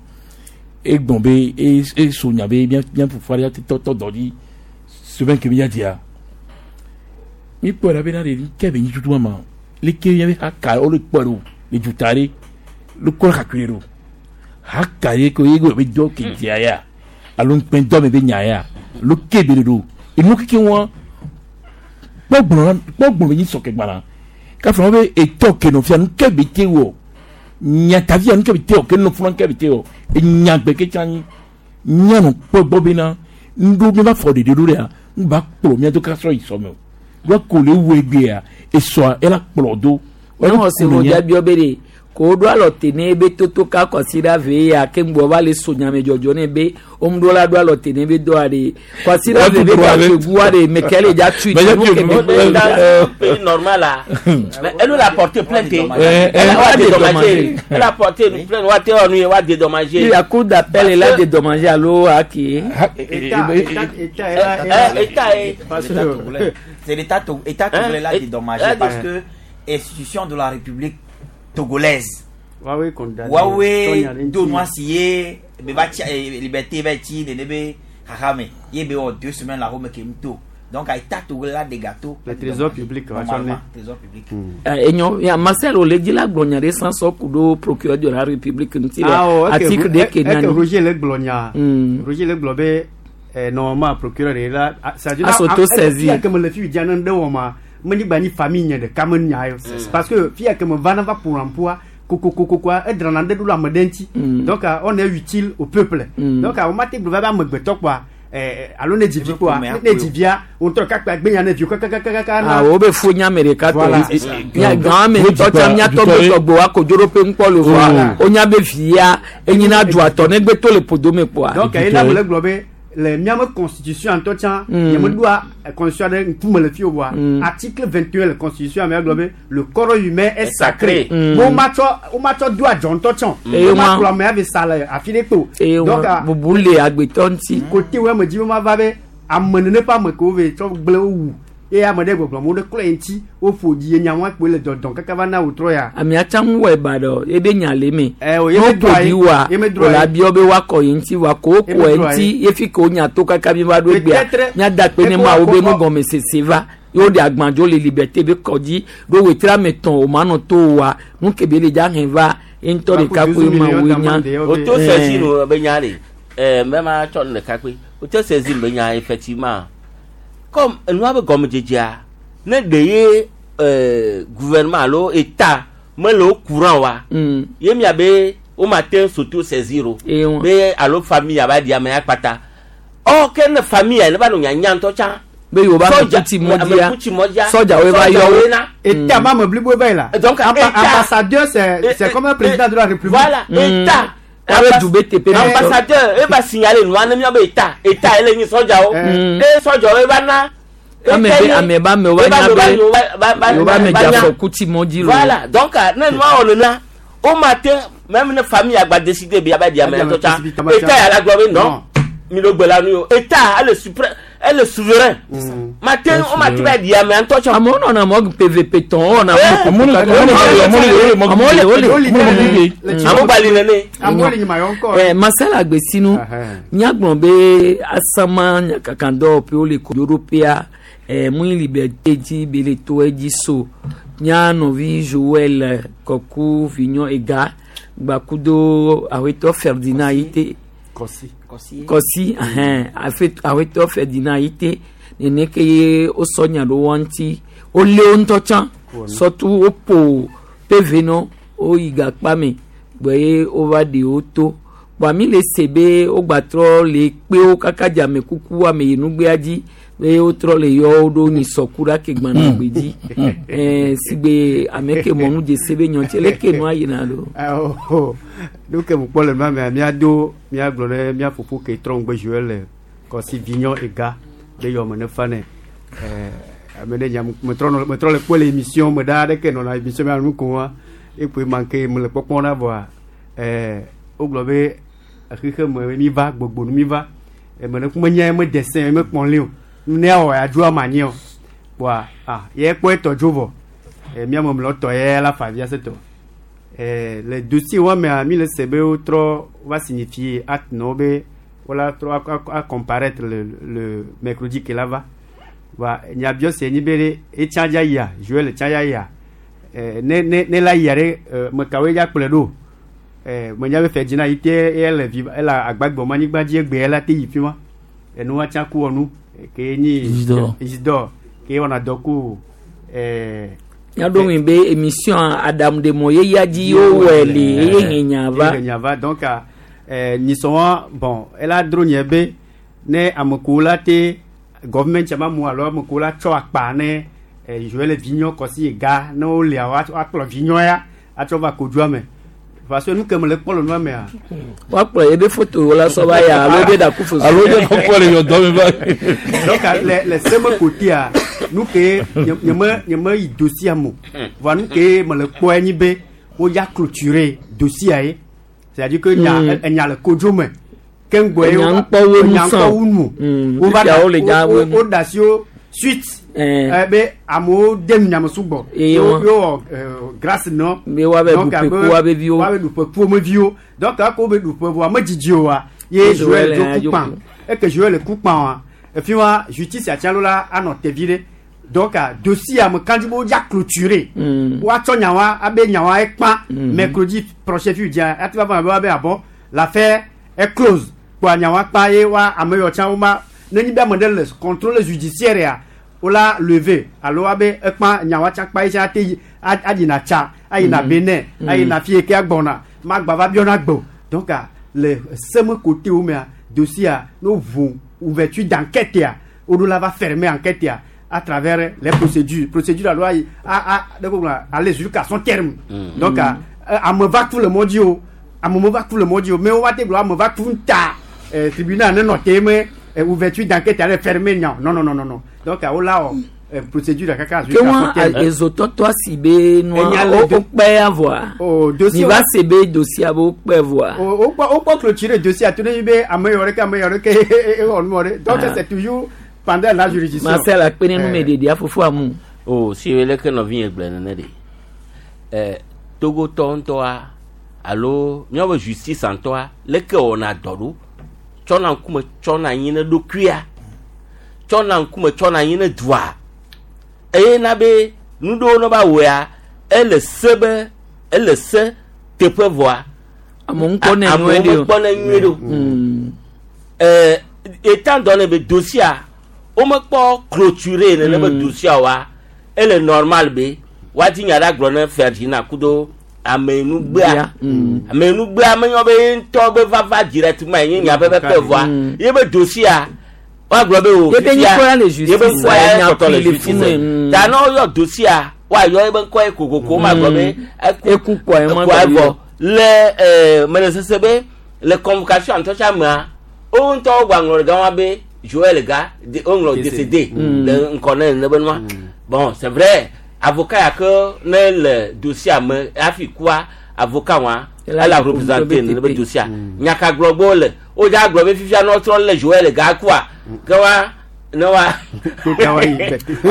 egbɔn be e eso nya be mía mía fofoa ɖe tɔ tɔ dɔ dzi semaine ke mía dzia. Mi kpɔe ɖa bena ɖe ke be nyi tutu ma leke míabe haka wole kpɔe ɖo le duta ɖe le kɔ kakui ɖo haka ye ko ye be dɔ ke dzia ya alo ŋukpɛ dɔ me be nya ya lo ke be ɖo enu keke wɔn kpɔgblɔ kpɔgblɔ be nyi sɔkɛ gbana kafa wo be etɔ ke nɔ fia nu ke be te wɔ nyatavia nu ke be te wɔ ke nɔ funa ke be te wɔ enyagbe ke tsa nyi mianɔ kpɔ gbɔ bena ŋɖo mi va fɔ ɖeɖe ɖo ɖea ŋgba kplɔ mia do kasɔ yi sɔme o wa ko le wu egbea esɔa ela kplɔ do. Ne wɔ se wo dza biɔ be de ko wo ɖo alɔ te ne be toto ka kɔsi ve ya ke ŋgbɔ va le so nyame dzɔdzɔ ne be wo ŋu ɖo la ɖo alɔ te ne be dɔa de kɔsi ɖa ve be ba gua de me ke le dza tui nu ke be pays normal là. Mais elle nous l'a porté plainte. Elle a dédommagé. Elle a porté une plainte. Wa te onu wa dédommagé. La cour d'appel est là dédommagé alo aki. État, État, État, C'est l'État État togolais l'a dédommagé parce que institution de la République togolaise. Wawe condamné. Wawe do siye be ba liberté ba ti ne be harame. Ye be o 2 semaines la home ke mto. Donc à État togolais là des gâteaux. Le trésor public va sonner. Trésor public. Enyo ya Marcel Oledi la gblɔ nya ɖe san sɔ ku ɖo procureur de la République ŋuti le article de ke nani. Roger le gblɔ nya. Roger le gblɔ be normalement procureur de la c'est-à-dire s'auto-saisir. Fia ke me le fi dza ne ɖe wɔ ma menye gba nyi famille nye ɖeka me nya yo parce que fia ke me va na va pour emploi kokokoko edrana ɖe ɖo le ame ɖe ŋuti donc on est utile au peuple donc wo ma te gblɔ va be amegbetɔ kpoa alo ne dzivi kpoa ne dzivia wo ŋutɔ kakpa gbenya ne viwo kakakakaka na. Awo be fo nya ame ɖeka tɔ nya gã ame ŋutɔ tsa miatɔ be tɔgbe wa kodzoɖoƒe ŋkpɔ le vɔa wonya be via enyina dua tɔ negbe to le ƒodome kpoa. Donc ena me le gblɔ be le miame constitution ŋutɔ tsã nye ɖoa constitution ɖe ŋkume le fi o voa article 21 le constitution me gblɔ be le corps humain est sacré wo ma tsɔ wo ma tsɔ do adzɔ ŋutɔ tsã wo ma kplɔ ame ave sa le afi ɖe kpo. Donc bubu le agbetɔ ŋuti. Kote wo ame dzi wo ma va be ame nene ƒe ame kewo ve tsɔ gblẽ wo wu eye ame ɖe gbɔgblɔm wo ɖe klɔ ye ŋuti woƒo dzi ye nyawo kpoe le dɔdɔm kaka va na wòtrɔ ya. Amea tsã ŋu wɔ eba ɖe ebe nya le eme. Ɛ o ne ye wo me ƒo ɖi wa wòle abiɔ be woakɔ ye ŋuti wa ko wokɔ Ye me ŋuti ye fi ke wonya to kaka mi va ɖo egbea Peut-être- míada kpe ne Eko mawo be akɔ- nugɔmesese va ye woɖe agbadzo le liberté be kɔdzi ɖo wetri ame tɔn o ma nɔ to wa nu ke be le dza hɛn va ye ŋutɔ ɖeka koe ma woe nya. Auto-saisine be nya ɖe mɛ ma tsɔ nu ɖeka kpe auto-saisine be nya effectivement comme enua be gɔmedzedzea ne ɖe ye gouvernement alo état mele wo courant wa ye mia be wo ma te s'auto-saisir o be alo famille aba di ame akpata or ke ne famille ya ne va nɔ nyanya ŋutɔ tsã. Be yewo ba ame kuti mɔdzia sɔdzawoe va yɔ wo. État ma me blibo va yi la. Donc État ambassadeur c'est comme un président de la République. Voilà, État. Abe du be teƒe na ambassadeur e va signaler nua ne miabe état état ele nyi sɔdzawo e sɔdzawo e va na. Ame be ame ba me wa nya be yewo ba me dze afɔku ti mɔdzi lo. Voilà, donc ne nua wɔ nena o ma te même ne famille agba décider be aba di ame ŋutɔ tsã état ya la gblɔ be non mi ɖo gbe la nu yo état ele suprême Ele souverain. Mate o ma ti ba di ame ŋutɔ tsɔ. Amewo nɔna mɔ PVP tɔn wɔna. Amewo le wole. Amewo gbali nene. Ɛ Marcel Agbesinu míagblɔ be asama nyakakandɔwɔƒewo le kodoɖoƒea ɛ mu liberté dzi be le to edzi so mía nɔvi Joël Kɔku Vignon Ega gbakudo awetɔ Ferdinand yi te. Kɔsi. Kɔsi ahɛn awetɔ Ferdinand yi te nene ke ye wosɔ nya ɖo wɔn ŋuti wolé wo ŋutɔ tsã sɔtu woƒo PV nɔ woyi gakpa me gbɔ ye wova ɖe wo to kpɔa mi le se be wogbatrɔ le kpewo kaka dze ame kuku ame yi nugbea dzi be wotrɔ le yɔ wo ɖo nyisɔku ɖe ake gbana gbe dzi ɛɛ sigbe ame ke mɔnu dzese be nyɔtsi leke nua yina ɖo. Nu ke mu kpɔ le nua mea míado míagblɔ ne mía fofo ke trɔ ŋgbe Joël Kɔsi Vignon Ega ɖe yɔ me ne fa ne ɛɛ ame ne nya metrɔ nɔ metrɔ le kpɔ le émission me ɖaa ɖeke nɔna émission mea nu ko wa ekpoe manke me le kpɔkpɔ na vɔa ɛɛ wogblɔ be xexe me mi va gbogbo nu mi va eme ne kuma nya me dessin me kpɔn li o nu ne awɔ ya dzo ama anyi o kpɔa ah ye kpɔ etɔ dzo vɔ ɛ mía me mlɔ tɔ ye la fa via se tɔ ɛ le dossier wa mea mi le se be wotrɔ va signifier acte nɔ be wola trɔ a comparaître le mercredi ke la va wa nyabiɔ se nyi be ɖe etsa dza yia Joël tsa dza yia ɛ ne ne ne la yia ɖe ɛ mekawoe dza kplɔe ɖo ɛ menya be Ferdinand yi te ele vi ele agbagbɔ ma anyigba dzi egbe ela te yi fi ma enua tsa ku wɔnu ke nyi Isidore. Isidore ke wɔna dɔ ku ɛ Míaɖo ŋui be émission aɖaŋuɖemɔ yeyea dzi wowɔe le eye henya va. Eye henya va donc ɛ nyisɔ wa bon ela dro nye be ne amekowo la te government ma mu alo amekowo la tsɔ akpa ne ɛ Joël Vignon Kɔsi Ega ne wolia wa akplɔ Vignon ya atsɔ va kodzoa me parce que nu ke me le kpɔ le nua mea. Woakplɔ ebe foto la sɔ va ya alo ebe ɖaku foto. Alo ebe kɔkɔ le yɔdɔ me va. Donc le seme côté nu ke nye me nye me yi dossier mo voa nu ke me le kpɔ enyi be wo ya clôturer dossier ye c'est-à-dire que nya enya le kodzo me ke ŋgbɔ ye Enya ŋkpɔ wo nu enya sã. ŋkpɔ wo nu wo va fifia wole dza wo nu. wo da si wo suite be amewo de nu nyame sugbɔ Eye yo wa. yo wɔ grâce nɔ Be woabe Donc, ɖu abe ƒe ku woabe viwo. woabe ɖu ƒe ku wo me viwo donc ako wobe ɖu ƒe vɔa medzidzi o wa ye Joël Joël dzo dzo ku kpã ku. eke Joël ku kpã wa efi wa justice atsialo la anɔ tevi ɖe donc dossier ame kan dzi be wodza clôturer woatsɔ nyawa abe nyawa ekpã mercredi prochain fi dzia ati va va be woabe abɔ l'affaire est close kpoa nyawa kpã ye wa ame yawo tsã woma ne nyi be ame ɖe le contrôle judiciaire ya wola lever alo abe ekpã nyawa tsã kpã ye tsã ate yi ayina tsa ayina Benin ayina fi yi ke agbɔna magba va biɔna gbɔ donc le seme côté wo mea dossier a no ʋu ouverture d'enquête ya woɖo la va fermer enquête ya à travers les procédures procédure alo ayi a a de ko gblɔ aller jusqu'à son terme donc ame va ku le mɔ dzi o ame me va ku le mɔ dzi o mais wo va te gblɔ ame va ku ta tribunal ne nɔ te me ouverture d'enquête ale fermer nya non non non non non donc wola wɔ procédure kaka Ke jusqu'à wa son terme. ezotɔtɔ si be nua Enya le wo kpe ya vɔa. O dossier Mi wa- va se be dossier be wo kpe vɔa. O o kpɔ clôturer dossier a to ne nyi be ame yɔ ɖeke ame yɔ ɖeke ewɔ nu wɔ ɖe donc Ah. c'est toujours pendant la juridiction. Marcel akpe ne numeɖeɖea fofo amu. O si ye leke nɔvi nye gblɔ nene ɖe ɛ togotɔ ŋutɔa alo míaƒe justice ŋutɔa leke wɔna dɔ ɖo tsɔna ŋkume tsɔna anyi ne ɖokuia tsɔna ŋkume tsɔna anyi ne dua eye na be nu ɖewo ne va wɔa ele se be ele se teƒe vɔa Amewo ŋkpɔ ne amewo nyuie ɖe o. mekpɔ ne nyuie ɖe o ɛɛ étant donné be dossier womekpɔ clôturer nene be dossier wa ele normal be woadi nya ɖe agblɔ ne Ferdinand kudo amenugbea amenugbea menyɔ be ye ŋutɔ be vava directement ye nye nya pɛpɛpɛ vɔa ye be dossier woagblɔ be o Ye be fifia, ŋkɔ ya le ye be justice, ŋkɔ ya nya kpɔtɔ le kui le justice fi nu, ta ne woyɔ dossier woayɔ ye be ŋkɔ ye kokoko magblɔ be Eku kpɔa ye ma ekua gblɔ vɔ yɔ. le mele sese be le convocation ŋutɔ tsa mea wo ŋutɔ wogba ŋlɔ ɖe gama be Joël ga woŋlɔ décédé le ŋkɔ ne ne be nua bon c'est vrai avocat ya ke ne le dossier me hafi kua avocat wa Ela ela le représenter ne be TP. dossier nyaka gblɔ be wole wodza gblɔ be fifia ne wotrɔ le Joël ga kua ke wa Ne wa.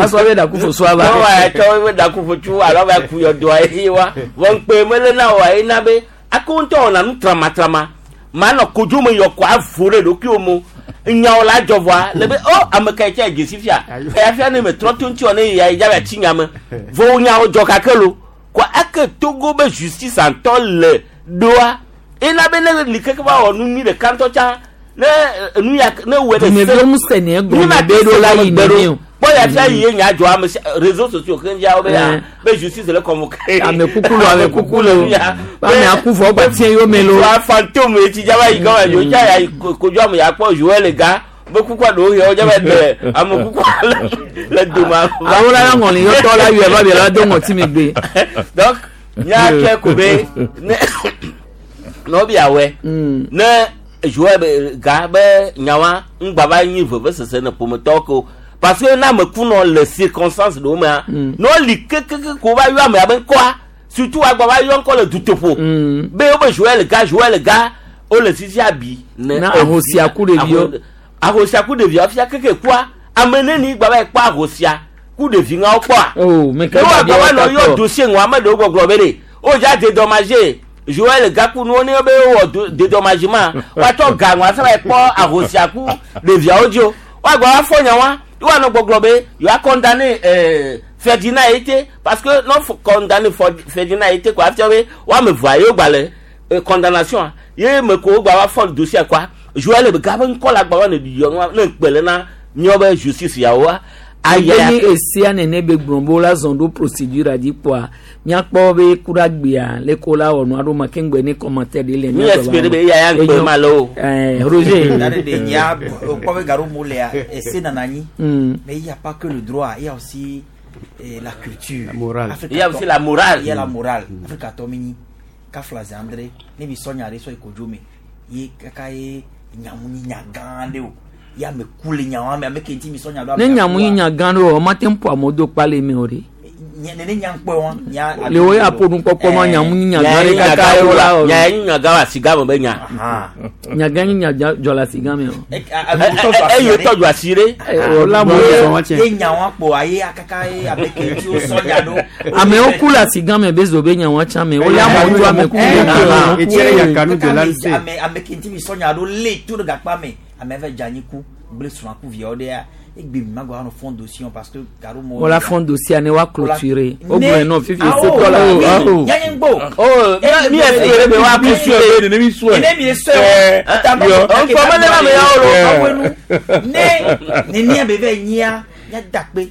Asɔ be ɖaku fo va. Ne wa tsɔ be ɖaku fo tsu alo va ku yɔdoa ye wa. Vɔ ŋkpe mele na wa ye na be ako ŋutɔ wɔna nu tramatrama. Manɔ kodzo me yɔ kɔ avo ɖe ɖokuiwo mo. Nyawo la dzɔ vɔa le be o ame ka yi tse dzesi fia. Eya fia ne me trɔ to ŋuti wɔ ne ya yi dza va tsi nya me. Vɔ nyawo dzɔ kake lo. Kɔ eke Togo be justice ŋutɔ le ɖoa. Ena be ne li keke va wɔ nu nyui ɖeka ŋutɔ tsã ne nu ya ne wɔ ɖe Dumeviwo ŋusẽ ne egɔme be ɖo la yi nene o. Kpɔ ya fia yi ye nya dzɔ ame sia réseaux sociaux keŋ dzia wo be ya be justice le convoqué. Ame kuku lo ame kuku lo. Ame aku vɔ gba tiɛ yome lo. Wa fantôme ye tsi dzaba yi gɔme dzo tsa ya yi kodzo ame ya kpɔ Joël ga be kukua ɖewo yɔ dzaba ɖe ame kukua le dome. Awo la ya ŋɔli yɔtɔ la yɔ va bi la do ŋɔti megbe. Donc míatsɔe ko be ne nɔvia wɛ ne Joël ga be nyawa ŋgba va nyi vevesese ne ƒometɔwo ke o parce que ne ame kunɔ le circonstance ɖewo mea ne woli kekeke ko va yɔ amea be ŋkɔa surtout agba va yɔ ŋkɔ le dutoƒo be wobe Joël ga Joël ga wole sisi abi ne Na ahosia ku ɖeviwo. Ahosia ku ɖeviawo fia keke kua ame neni gba va yi kpɔ ahosia ku ɖevi ŋawo kpɔa. Oh, me ke Ne gba woagba va nɔ biawo yɔ katɔ. dossier ŋu ame ɖewo gbɔgblɔ be ɖe wodza dédommagé Joël gaku nuwo ne be wowɔ dédommagement woatsɔ ga ŋua sɔ va yi kpɔ ahosia ku ɖeviawo dzi o woagba va fɔ nya wa woanɔ gbɔgblɔ be yewoa condamné Ferdinand Ete parce que ne wofɔ condamné Ferdinand Ete ko afia be woame evea yewo gba le condamnation ye me ko wogba va fɔ dossier kɔa Joël ga be ŋkɔ la gba va ne yɔ nua ne ŋkpe le na míawo be justice yawoa Aya ni esia nene be gblɔ be wola zɔn ɖo procédure a dzi kpɔa míakpɔ be ku ɖe agbea le ko la wɔ nua ɖo ma keŋ gbe ne commentaire ɖe le Mi espérer be eya ya ŋkpe ma le o. Roger. Dare de nya kpɔ be gaɖo mo lea ese nana anyi. Mais il y a pas que le droit, il y a aussi la culture. La morale. Afrika Il y a aussi la morale. Il y a la morale. Afrika tɔ mi nyi kafla zandre ne mi sɔ nya ɖe sɔ yi kodzo me ye kaka ye nyamu nyi nya gã ɖe o. Ya me ku le nya wa me ame ke ŋuti mi sɔ nya ɖo. Ne nyamu nyi nya gã ɖe o, mate ŋu ƒo amewo do kpa le eme o ɖe. Nene nya ŋkpɔe wa. Nya Le wo ya ƒo nu kpɔkpɔ ma nyamu nyi nya gã ɖe kaka ye wola wɔ. Nya ye nyi nya gã wa siga me be nya. Nya gã nyi nya dzɔ le asiga me o. Eye tɔ dzɔ asi ɖe. Ye nya wa kpɔ aye akaka ye ame ke ŋuti wo sɔ nya ɖo. Amewo ku le asiga me be zo be nya wa tsã me. Wole amewo do ame ku le Ame ame ke ŋuti mi sɔ nya ɖo lé to ɖe gakpa me. Ame eve dze anyi ku gblẽ srɔ̃a ku viawo ɖea egbe mi ma gba nɔ fond dossier parce que gaɖo mo. Wola fond dossier ne wa clôturer. O gblɔ nɔ fifi setɔ la. Nya nye ŋgbo. Oh, mi espérer be wa clôturer. Ne mi sɔe. Ne mi sɔe. Ŋkpɔ mele na me yawo lo. Ne nenia be vɛ nyia nya dakpe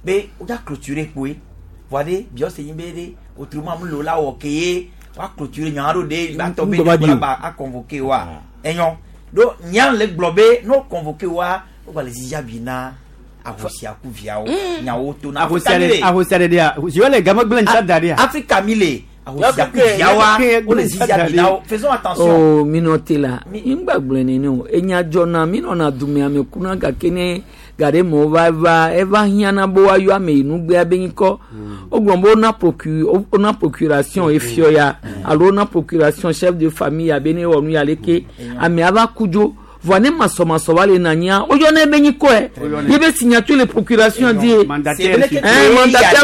be o ja clôturer kpoe. Voa ɖe biɔ se nyi be ɖe autrement mu lo la wɔ ke ye wa clôturer nya ɖo ɖe ba tɔ be ɖe ba a convoquer wa. Enyɔ. Donc nya le gblɔ be no convoquer wa o gba le zizi abi na ahosia ku viawo nyawo to na Ahosia ɖe ahosia ɖe ɖea Joël ga megblẽ ŋutsa da ɖea. Afrika mi le ahosia ku viawoa wo le zizi abi na wo faisons attention. Oh, mi nɔ te la ŋgba gblɔe nene o enya dzɔna mi nɔna dume ame kuna gake ne gaɖe me wova va eva hiãna be woayɔ ame yi nugbea be ŋkɔ wogblɔ be wona procu wona procuration efiɔ ya alo wona procuration chef de famille ya be ne wɔ nu ya leke amea va ku dzo vɔa ne masɔmasɔ va le na anyia woyɔna ebe ŋkɔe ye be signature le procuration di ye mandataire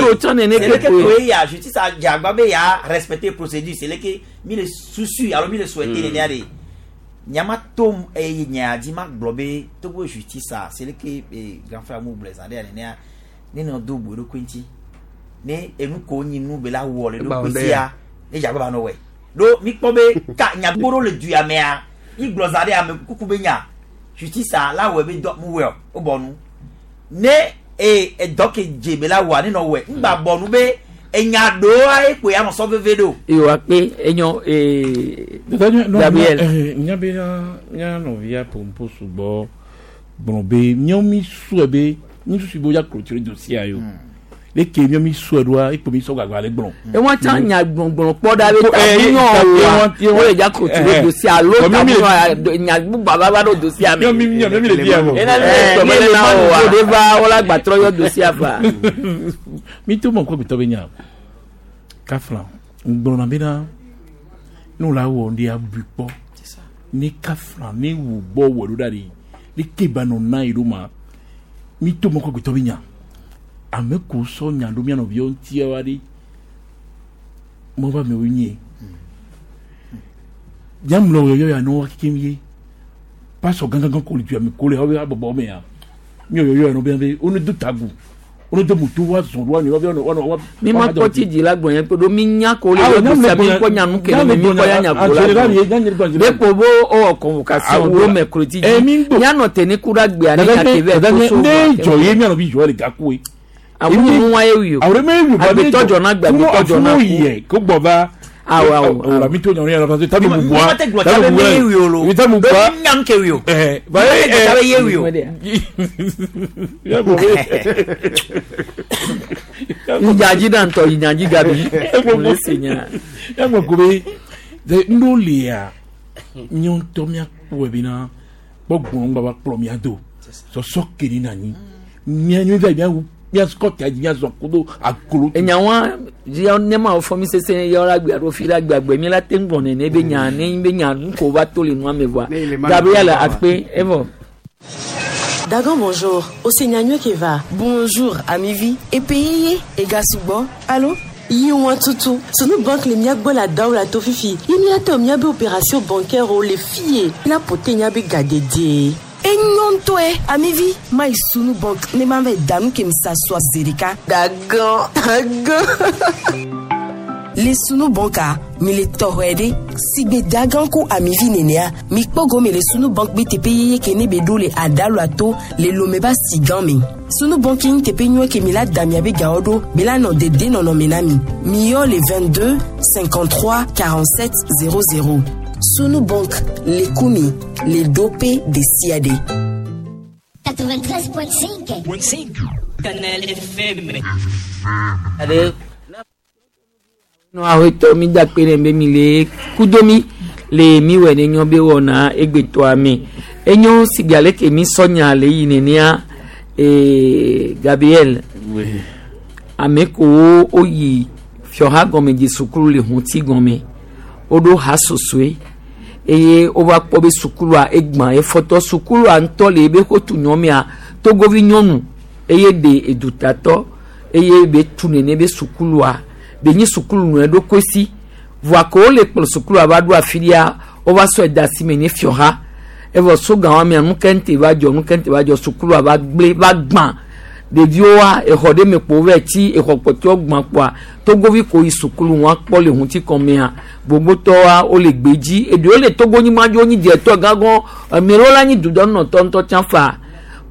wo tsã nene C'est ke que koe. ya justice a dze agba be ya respecter procédure c'est que mi le susu alo mi le souhaiter nenea de nyama to eye nya dzi ma gblɔ be Togo justice a c'est que grand frère mu gblɔ zã ɖe ya nenea ne nɔ do bo eɖokui ŋuti ne enu ko nyi nu be la wɔ le ɖokui sia ne dze agba ba nɔ wɔe ɖo mi kpɔ be ka nya gbogbo ɖewo le du ya mea mi gblɔ zã ɖe ame kuku be nya justice a la wɔe be dɔ mu wɔe o wo bɔ nu ne e edɔ ke dze be la wɔa ne nɔ wɔe ŋgba bɔ nu be enya ɖewoa ekpoe anɔ sɔ veve ɖo. Ewa kpe enyo Gabriel. Nya be mía nɔvia ƒoƒo sugbɔ gblɔ be míawo mi sɔe be mi susu be woya clôturer dossier yo. Leke míawo mi sɔe ɖoa ekpo mi sɔ gbagba le gblɔ. Ewa tsã nya gbɔngbɔn kpɔ ɖa be tamunyɔ wa wo le dza clôturer dossier alo tamunyɔ nya gbogbo ava va ɖo dossier me. Míawo mi míawo mi le bia vɔ. Ena ne tɔmɔ le na wo de va wola gbatrɔ yɔ dossier fa. Mi to mɔ kɔ gbetɔ be nya kafla ŋgblɔna bena ne wòle awɔ ɖe abui kpɔ ne kafla ne wò gbɔ wɔ ɖo ɖa ɖi ne ke ba nɔ na yi ɖo ma Mi to mɔ kɔkɔtɔ mi nya. Ame ko sɔ nya ɖo mía nɔviwo ŋuti wa ɖi. Mɔ va amewo nye. Nyamlɔ yɔyɔ ya nɔ wa kekem ye. Pasɔ gãgãgã ko le dua me ko le xɔ be habɔbɔ mea. Mi yɔyɔ ya nɔ be be wo ne do tagu. Wo ne do moto wa zɔn ɖo wa nɔ wa nɔ wa. Mi ma kpɔ tsi dzi la gblɔ yẹn pe ɖo mi nya ko le yɔ dusia mi kpɔ nyanu ke le mi kpɔ ya nya ko la gblɔ. Be ko bo owɔ convocation ɖo mercredi dzi. Mianɔ te ne ku ɖe agbea ne nya ke vɛ to so. Ne dzɔ ye mianɔ bi dzɔ le gaku ye. Awu nu wa ye wi o. Awo me wi o. Agbetɔ dzɔ na agbe agbetɔ dzɔ na ku. Yɛ ko gbɔ va. Awɔ awɔ. Awɔ mi to nyɔnu yɛrɛ parce que tabi mu bua. Mate gblɔ tsa be mi ye wi o lo. Mi tabi mu bua. Be nyam ke wi o. Ɛɛ ba ye gblɔ tsa be ye wi o. Nyadzi na ŋutɔ yi nyadzi gabi. Mo le se nya. Ɛgbɔn ko be de ŋɖo lia míawo ŋutɔ míakpɔe bena gbɔgbɔn ŋgba va kplɔ mía do sɔsɔ ke ɖi na anyi mía mi va yi míawu míasukɔ ta dzi míazɔ kudo aglo. Enyawa dzi ne ma wò fɔ mi sese yɔ la gbe alo fi la gbe agbe mi la te ŋgɔ nene be nya ne be nya nu ko va to le nua me voa Gabriel akpe evɔ. Dagan bonjour, Osenyanywe Keva. Bonjour, Amivi. Epeyeye, Egasugbo. Allô? Yiwa tutu. Sunu banque le miagbo la daw la to fifi. Yimi ate miabe opération bancaire o le fier. La pote nyabe gadede. Enyɔntɔe amivi mayi sunu bank ne ma vɛ danu ke misa sɔ zerika. Dagan, dagan. Le sunu banka mi le tɔxɔe ɖe sigbe dagan ko amivi nenea mi kpɔ gome le sunu bank be teƒe yeye ke ne be ɖo le adalo ato le lome ba si gan me. Sunu bank yi teƒe nyuie ke mi la da miabe gawo ɖo be la nɔ dede nɔnɔme na mi. Mi yɔ le 22 53 47 00. Sunu bank le kumi le dope de sia de. 93.5. Canal FM. Ale nɔ awetɔ mi da kpe ɖe be mi le kudo mi le mi wɔ ne nyɔ be wɔna egbetɔa me enyo sigbe ale ke mi sɔ nya le yi nenea ee Gabriel ame kowo woyi fiɔha gɔme dzi sukulu le huti gɔme woɖo ha sosoe eye wova kpɔ be sukulua egbã efɔtɔ sukulua ŋutɔ le ebe xotu nyɔmea togovi nyɔnu eye ɖe edutatɔ eye be tu nene be sukulua be nyi sukulu nɔ eɖokui si voa ke wole kplɔ sukulua va ɖo afi ɖia wova sɔe da asi me ne fiɔha evɔ soga wa mea nukente va dzɔ nukente va dzɔ sukulua va gblẽ va gbã ɖeviwoa exɔ ɖe me kpo va tsi exɔ kpɔtɔewo gbã kpoa togovi ko yi sukulu wa kpɔ le ŋuti kɔmea gbogbotɔwoa wole gbe dzi eɖewo le togonyigba dzi wonyi dietɔ gãgɔ ame ɖewo la nyi dudɔnɔtɔ ŋutɔ tsã fa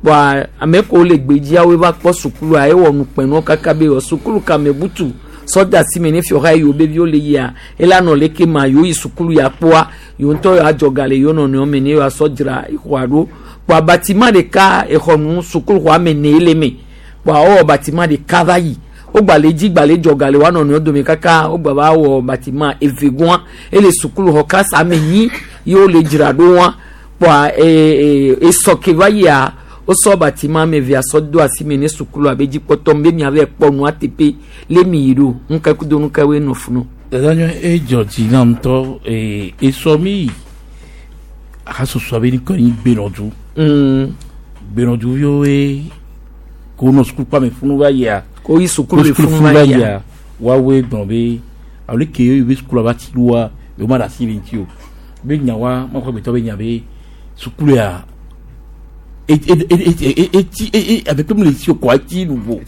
kpoa ame ko le gbe dzia woe va kpɔ sukulua ewɔ nukpɛnuwo kaka be wɔ sukulu kame butu sɔda si me ne fiɔha yi wo be viwo le yia ela nɔ leke ma yewo yi sukulu ya kpoa yewo ŋutɔ yewo adzɔga le yewo nɔnɔewo me ne yewoa sɔ dzra exɔa ɖo kpoa batima ɖeka exɔ nu sukulu xɔa me ne le me kpoa wowɔ batima ɖeka va yi wogba le dzi gba le dzɔga le woa nɔnɔewo dome kaka wogba va wɔ batima eve gɔa ele sukulu xɔ klasi ame nyi ye wole dzra ɖo wa kpoa ee esɔ ke va yia wosɔ batima ame evea sɔ do asi me ne sukulu abe dzikpɔtɔ be miava kpɔ nua teƒe le mi yi ɖo nuka kudo nuka woe nɔ funu. Dada nyɔ edzɔ dzi na ŋutɔ ee esɔ mi yi hasoso abe ni kɔni gbenɔdu. Gbenɔdu viwo ko nɔ sukulu kpame funu va yia. Ko yi sukulu le funu va yia. Woawoe gblɔ be alo ke ye be sukulu va tsi ɖoa yewo ma ɖe asi le ŋuti o. Be nya wa makɔ gbetɔ be nya be sukulu ya eti eti avec comme les si quoi eti nouveau.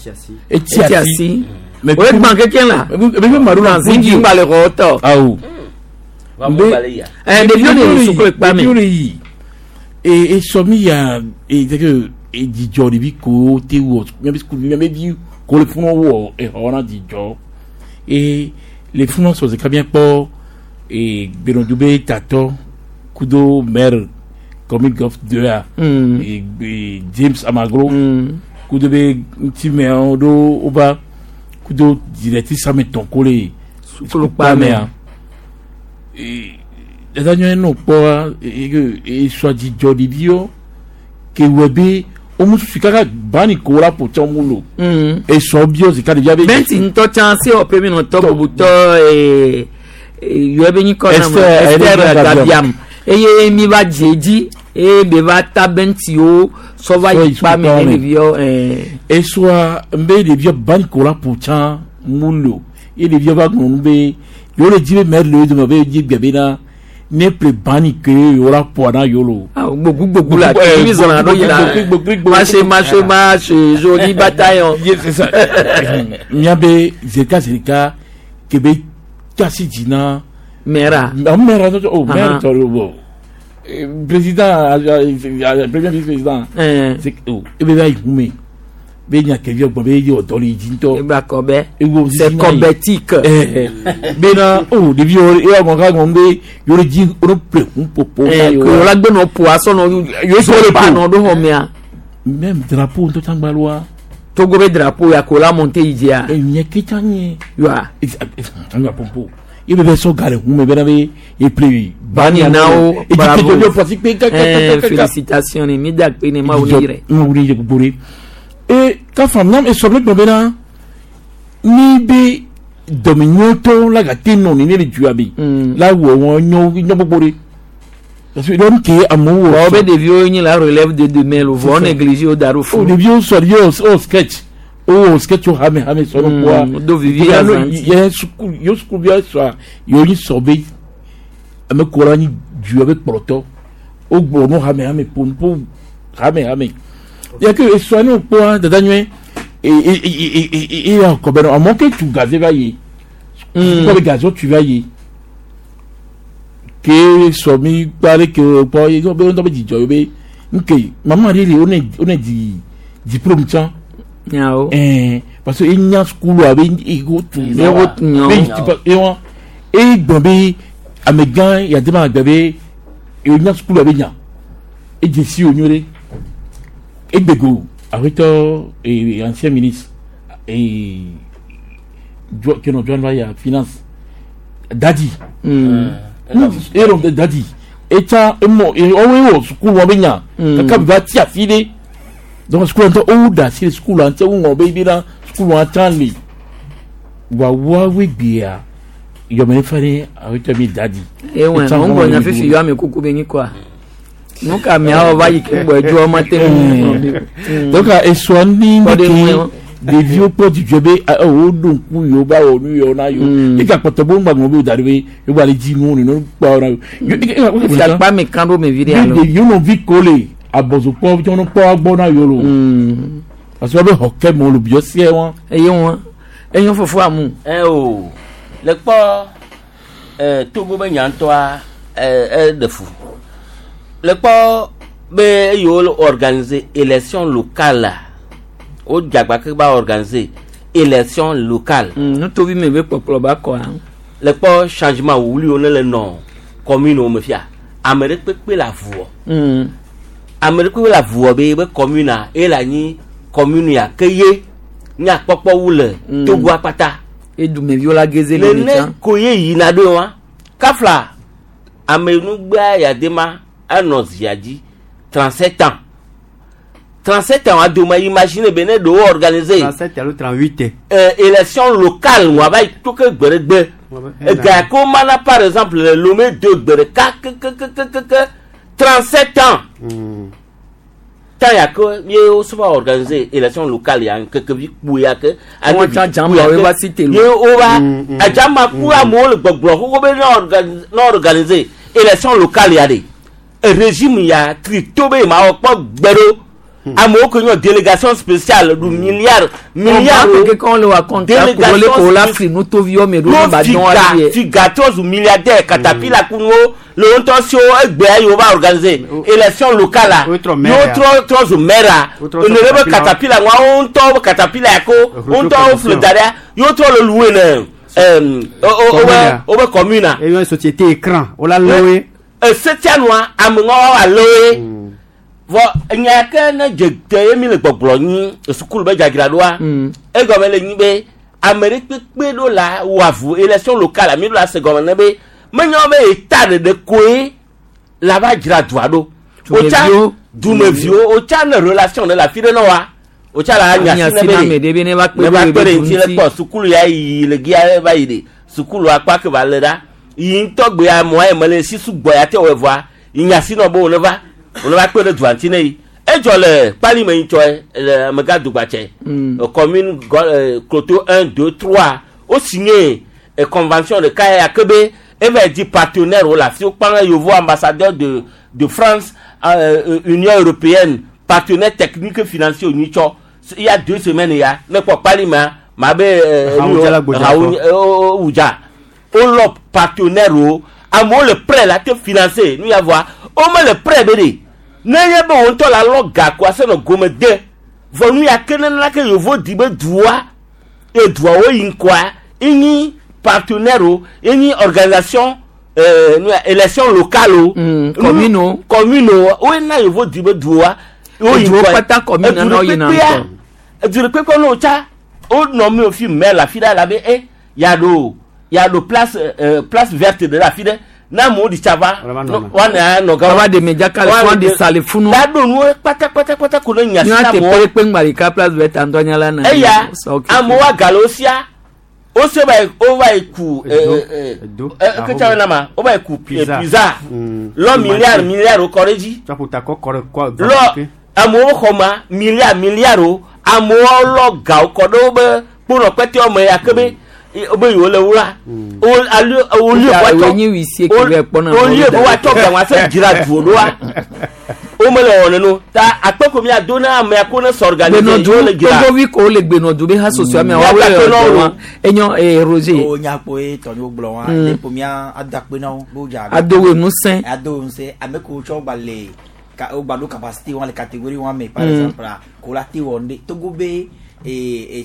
Eti asi. O ye gbã kekeŋ la. Ebe be ma ɖo la Zingi ŋgba le xɔ tɔ. Awo. Ɛ ɖeviwo le yi sukulu kpa me. Ɖeviwo le yi. E esɔ mi ya e c'est que e dzidzɔ ɖevi ko te wɔ miabe sukulu miabe vi ko le funu wɔ exɔ na dzidzɔ. E le funu sɔ zeka mia kpɔ e gbenɔdu be tatɔ kudo maire commune golf 2 a. E, e James Amagro. Kudo be ŋutimeawo ɖo wova kudo directrice ame tɔn ko le Sukulu kpa mea. Dada nyɔ nɔ kpɔa esɔ dzidzɔ ɖeviwo ke wɔ be womu susu kaka bani ko la ƒo tsɔ mu lo. Esɔ biɔ zika ɖevia be. Bɛnti ŋutɔ tsã se wɔ pe mi nɔtɔ bubutɔ ee yɔ ebe nyikɔ na Esther Esther Gabiam eye mi va dze dzi Eye be va ta bɛntiwo sɔ va yi kpa me ne ɖeviwo ɛɛ. Esua nbe ɖeviwo bani ko la ƒo tsã mu lo ye ɖeviwo va gblɔ nu be yewo le dzi be mɛri le wo dome be dzi gbe bena ne ƒle bani ke yewo la ƒoa na yewo lo. Awo gbogbo gbogbo la mi zɔna ɖo yina marche marche marche joli bataillon. Ye c'est ça. Miabe zeka zeka ke be tasi dzi na. Mɛra. Mɛra oh mɛra tɔ lo bɔ. Président premier vice président. Oh ebe va yi ŋume be nya kevi gbɔ be ye wɔ dɔ le yi dzi ŋutɔ. Ebe akɔbɛ. C'est kɔbɛtique. Bena oh ɖeviwo ye wɔ ka gɔn be yewo le dzi wo ƒle ŋuƒoƒo. Ɛɛ ko la gbe nɔ ƒo asɔ nɔ yewo sɔ le ƒo nɔ ɖo xɔ mea. Même drapeau ŋutɔ tsã gbalua. Togo be drapeau ya ko la monte yi dzia. Nye ke tsã nye. Yoa. Anga pompo. Ye be sɔ ga le ŋume bena be ye ƒle bani na wo bravo. Ɛɛ félicitations ni mi da kpe ne Mawu ni yɛrɛ. Mawu ni yɛrɛ gbogbo de. Ee ka faamu na esɔ ne gblɔ bena ni be dɔmenyɔtɔ la gate nɔ ni ne le dua me la wɔ wɔn nyɔ nyɔ gbogbo de. Parce que l'homme qui est amoureux. Bon, be ɖeviwo nyi la relève de demain lo vɔ négligé wo da ɖo fún. Ɖeviwo sɔ ɖeviwo o sketch o sketch o hame hame sɔ ɖo kua. Do vivi azanti. Yɛ suku yɛ sukuvi sɔa yɛ nyi sɔ be ame ko la nyi dua be kplɔtɔ o gblɔ nu hame hame pompo hame hame. Yɛ ke esɔa ne kpɔa dada nyuie e e e e e ya kɔ bɛ nɔ amewo ke tu gaze va yi. Kɔ be gaze tu va yi ke sɔ mi kpa ɖe ke kpɔ ye be ŋutɔ be dzidzɔ ye be nke mama ɖe li wo ne di diplôme tsã. Nyawo. Ɛɛ parce que enya sukulu abe ego tu Ego tu nyawo. Be ewa e gbɔn be amegã yade ma gbe be enya sukulu abe nya edze si wo nyuie ɖe egbego aƒetɔ ee ancien ministre ee kenɔ John va ya finance dadi. Ero dadi etsa emɔ ɔwɔ ewɔ sukulu wɔn be nya kaka bi va ti afi ɖe donc sukulu ŋutɔ owu da asi le sukulu ŋutɔ ŋu be bi na sukulu ŋutɔ le wa woawoe gbea yɔmɛ fa ne awetɔ mi dadi. Ewɔn mɔ ŋgɔ nya fifi yɔ ame kuku be nyi kɔa nu ka miawo va yi ke ŋgbɔ edzo ɔma te ŋu. Donc esɔ ni ne ke ɖeviwo kpɔ dzidzɔ be wo ɖo ŋku yewo ba wɔ nu yewo na yewo eka kpɔtɔ bo ŋgbà ŋlɔ be da ɖe be yewo ba le dzi nuwo nínú kpɔ na yewo. Fiakpa mi kan ɖo me vi ɖe alo. Yewo nɔvi ko le abɔzokpɔ tí wọn kpɔ agbɔ na yewo lo. Parce que wọn bɛ xɔ kɛ mɔ olo biɔ seɛ wọn. Eye wọn enyo fofo amu. Ɛ o le kpɔ ɛ Togo be nyantɔa ɛ ɛ ɖe fu le kpɔ be eyiwo organiser élection locale la wo dzagba ke ba organiser élection locale. Nutovi me be kpɔkplɔ ba kɔa. Le kpɔ changement wuliwo ne le nɔ commune wo me fia ame ɖe kpekpe le avuwɔ. Ame ɖe kpekpe le avuwɔ be be commune a eye le anyi commune ya ke ye nyakpɔkpɔ wu le Togo akpata. Edumeviwo la geze le mi tsã. Nene ko ye yina ɖo wa kafla ame nugbea yadema anɔ zia dzi 37 ans 37 ans adome imagine be ne ɖewo organiser. 37 alo 38. Élection locale wa va yi to ke gbe ɖe gbe ega ko mana par exemple le Lomé 2 gbe ɖeka kekekekeke 37 ans. Tan ya ke ye wo sɔ va organiser élection locale ya nkeke vi kpui ya ke. Wɔn tsa jama wo va si te lo. Ye wo va adzama ku amewo le gbɔgblɔ xoxo be ne organiser élection locale ya de régime ya tri to be ma wɔ kpɔ gbe ɖo. Amewo ke nyɔ délégation spéciale du milliard milliard. Keke kɔn le wa kɔnta kuro le ko la fili nutoviwo me ɖo ne ba dɔn wa ye. Figa trɔ zu milliardaire katapila kunuwo le wo ŋutɔ siwo egbea yi wo va organiser élection locale la yewo trɔ trɔ zu maire ne ɖe be katapila ŋua wo ŋutɔ be katapila ya ko wo ŋutɔ wo fli da ɖea yewo trɔ le louer ne wo be commune a. Eyo société écran wo la lɔwe. Esetia nua ame ŋua wa lɔwe. Vɔ nya ke ne dze te ye mi le gbɔgblɔ nyi sukulu be dzadzraɖoa egɔme le nyi be ame ɖe kpekpe ɖo la wɔ avu élection locale mi ɖo la se gɔme ne be menye be eta ɖeɖe koe la va dzra dua ɖo. Wotsa dumeviwo wotsa ne relation ne le afi ɖe ne wa wotsa la nya si ne be ne va kpe ɖe ŋuti le kpɔ sukulu ya yi le gia va yi ɖe sukulu akpa ke va le ɖa yi ŋutɔ gbe amewo yi me le si sugbɔ ya te wɔ vɔa yi nya si nɔ be wo ne va. Wòle va kpe ɖe dua ŋuti ne yi. Edzɔ le kpali me ŋutɔ le amegã dugbatsɛ. Commune Kloto 1, 2, 3 wo signé convention ɖeka ya ke be eva di partenaire wo le afi wo kpã yovo ambassadeur de France, Union européenne, partenaire technique financier wònyi tsɔ. Il y a 2 semaines ya ne kpɔ kpali mea ma be wudza wolɔ partenaire wo, amewo le prêt la te financer nu ya vɔa wo mele prêt be ɖe ne nye be wo ŋutɔ la lɔ ga ko ase nɔ gome de vɔ nu ya ke nana ke yovo di be dua ye duawo yi ŋkɔa enyi partenaire wo, enyi organisation nu ya élection locale o. Commune o. Commune o wo na yovo di be dua wo yi ŋkɔa kpata commune na yina ŋkɔ. Edu ɖe kpekpe ne wotsa wonɔ mi fi mɛ le afi ɖe la be e yaɖo yaɖo place verte ɖe le afi ɖe ne amewo ɖi tsa va woana nɔ gã. Wa de medzaka le fún de sa le funu. La ɖo nuwo kpata kpata kpata ko ne nya si na amewo. Teƒe kpe ŋgba ɖeka place verte ŋutɔ nya la na. Eya amewo agale wo sia wose va yi wo va yi ku eketsa na ma wo va yi ku pizza lɔ milliard milliard kɔ ɖe dzi lɔ amewo xɔ ma milliard milliard wo amewo lɔ gawo kɔ ɖe wo be kponɔ kpɛtɛwo me ya ke be be yewo le wla wòli be woatsɔ ga wọn asɛ dzra duwo ɖoa wo mele wɔ nenu ta akpɛ ko mia do na amea ko ne s'organiser yewo le dzra. Togovi ko le gbenɔdu be ha soso amea wa wele ɔdɔ wa enyo Roger. O nyakpo ye tɔnyo gblɔ wa ne ko mia adakpe na wo bo dza. Adowe ŋusẽ. Adowe ŋusẽ ame ko tsɔ gba le o gba ɖo capacité wa le catégorie wa me, par exemple ko la te wɔ ŋɖe Togo be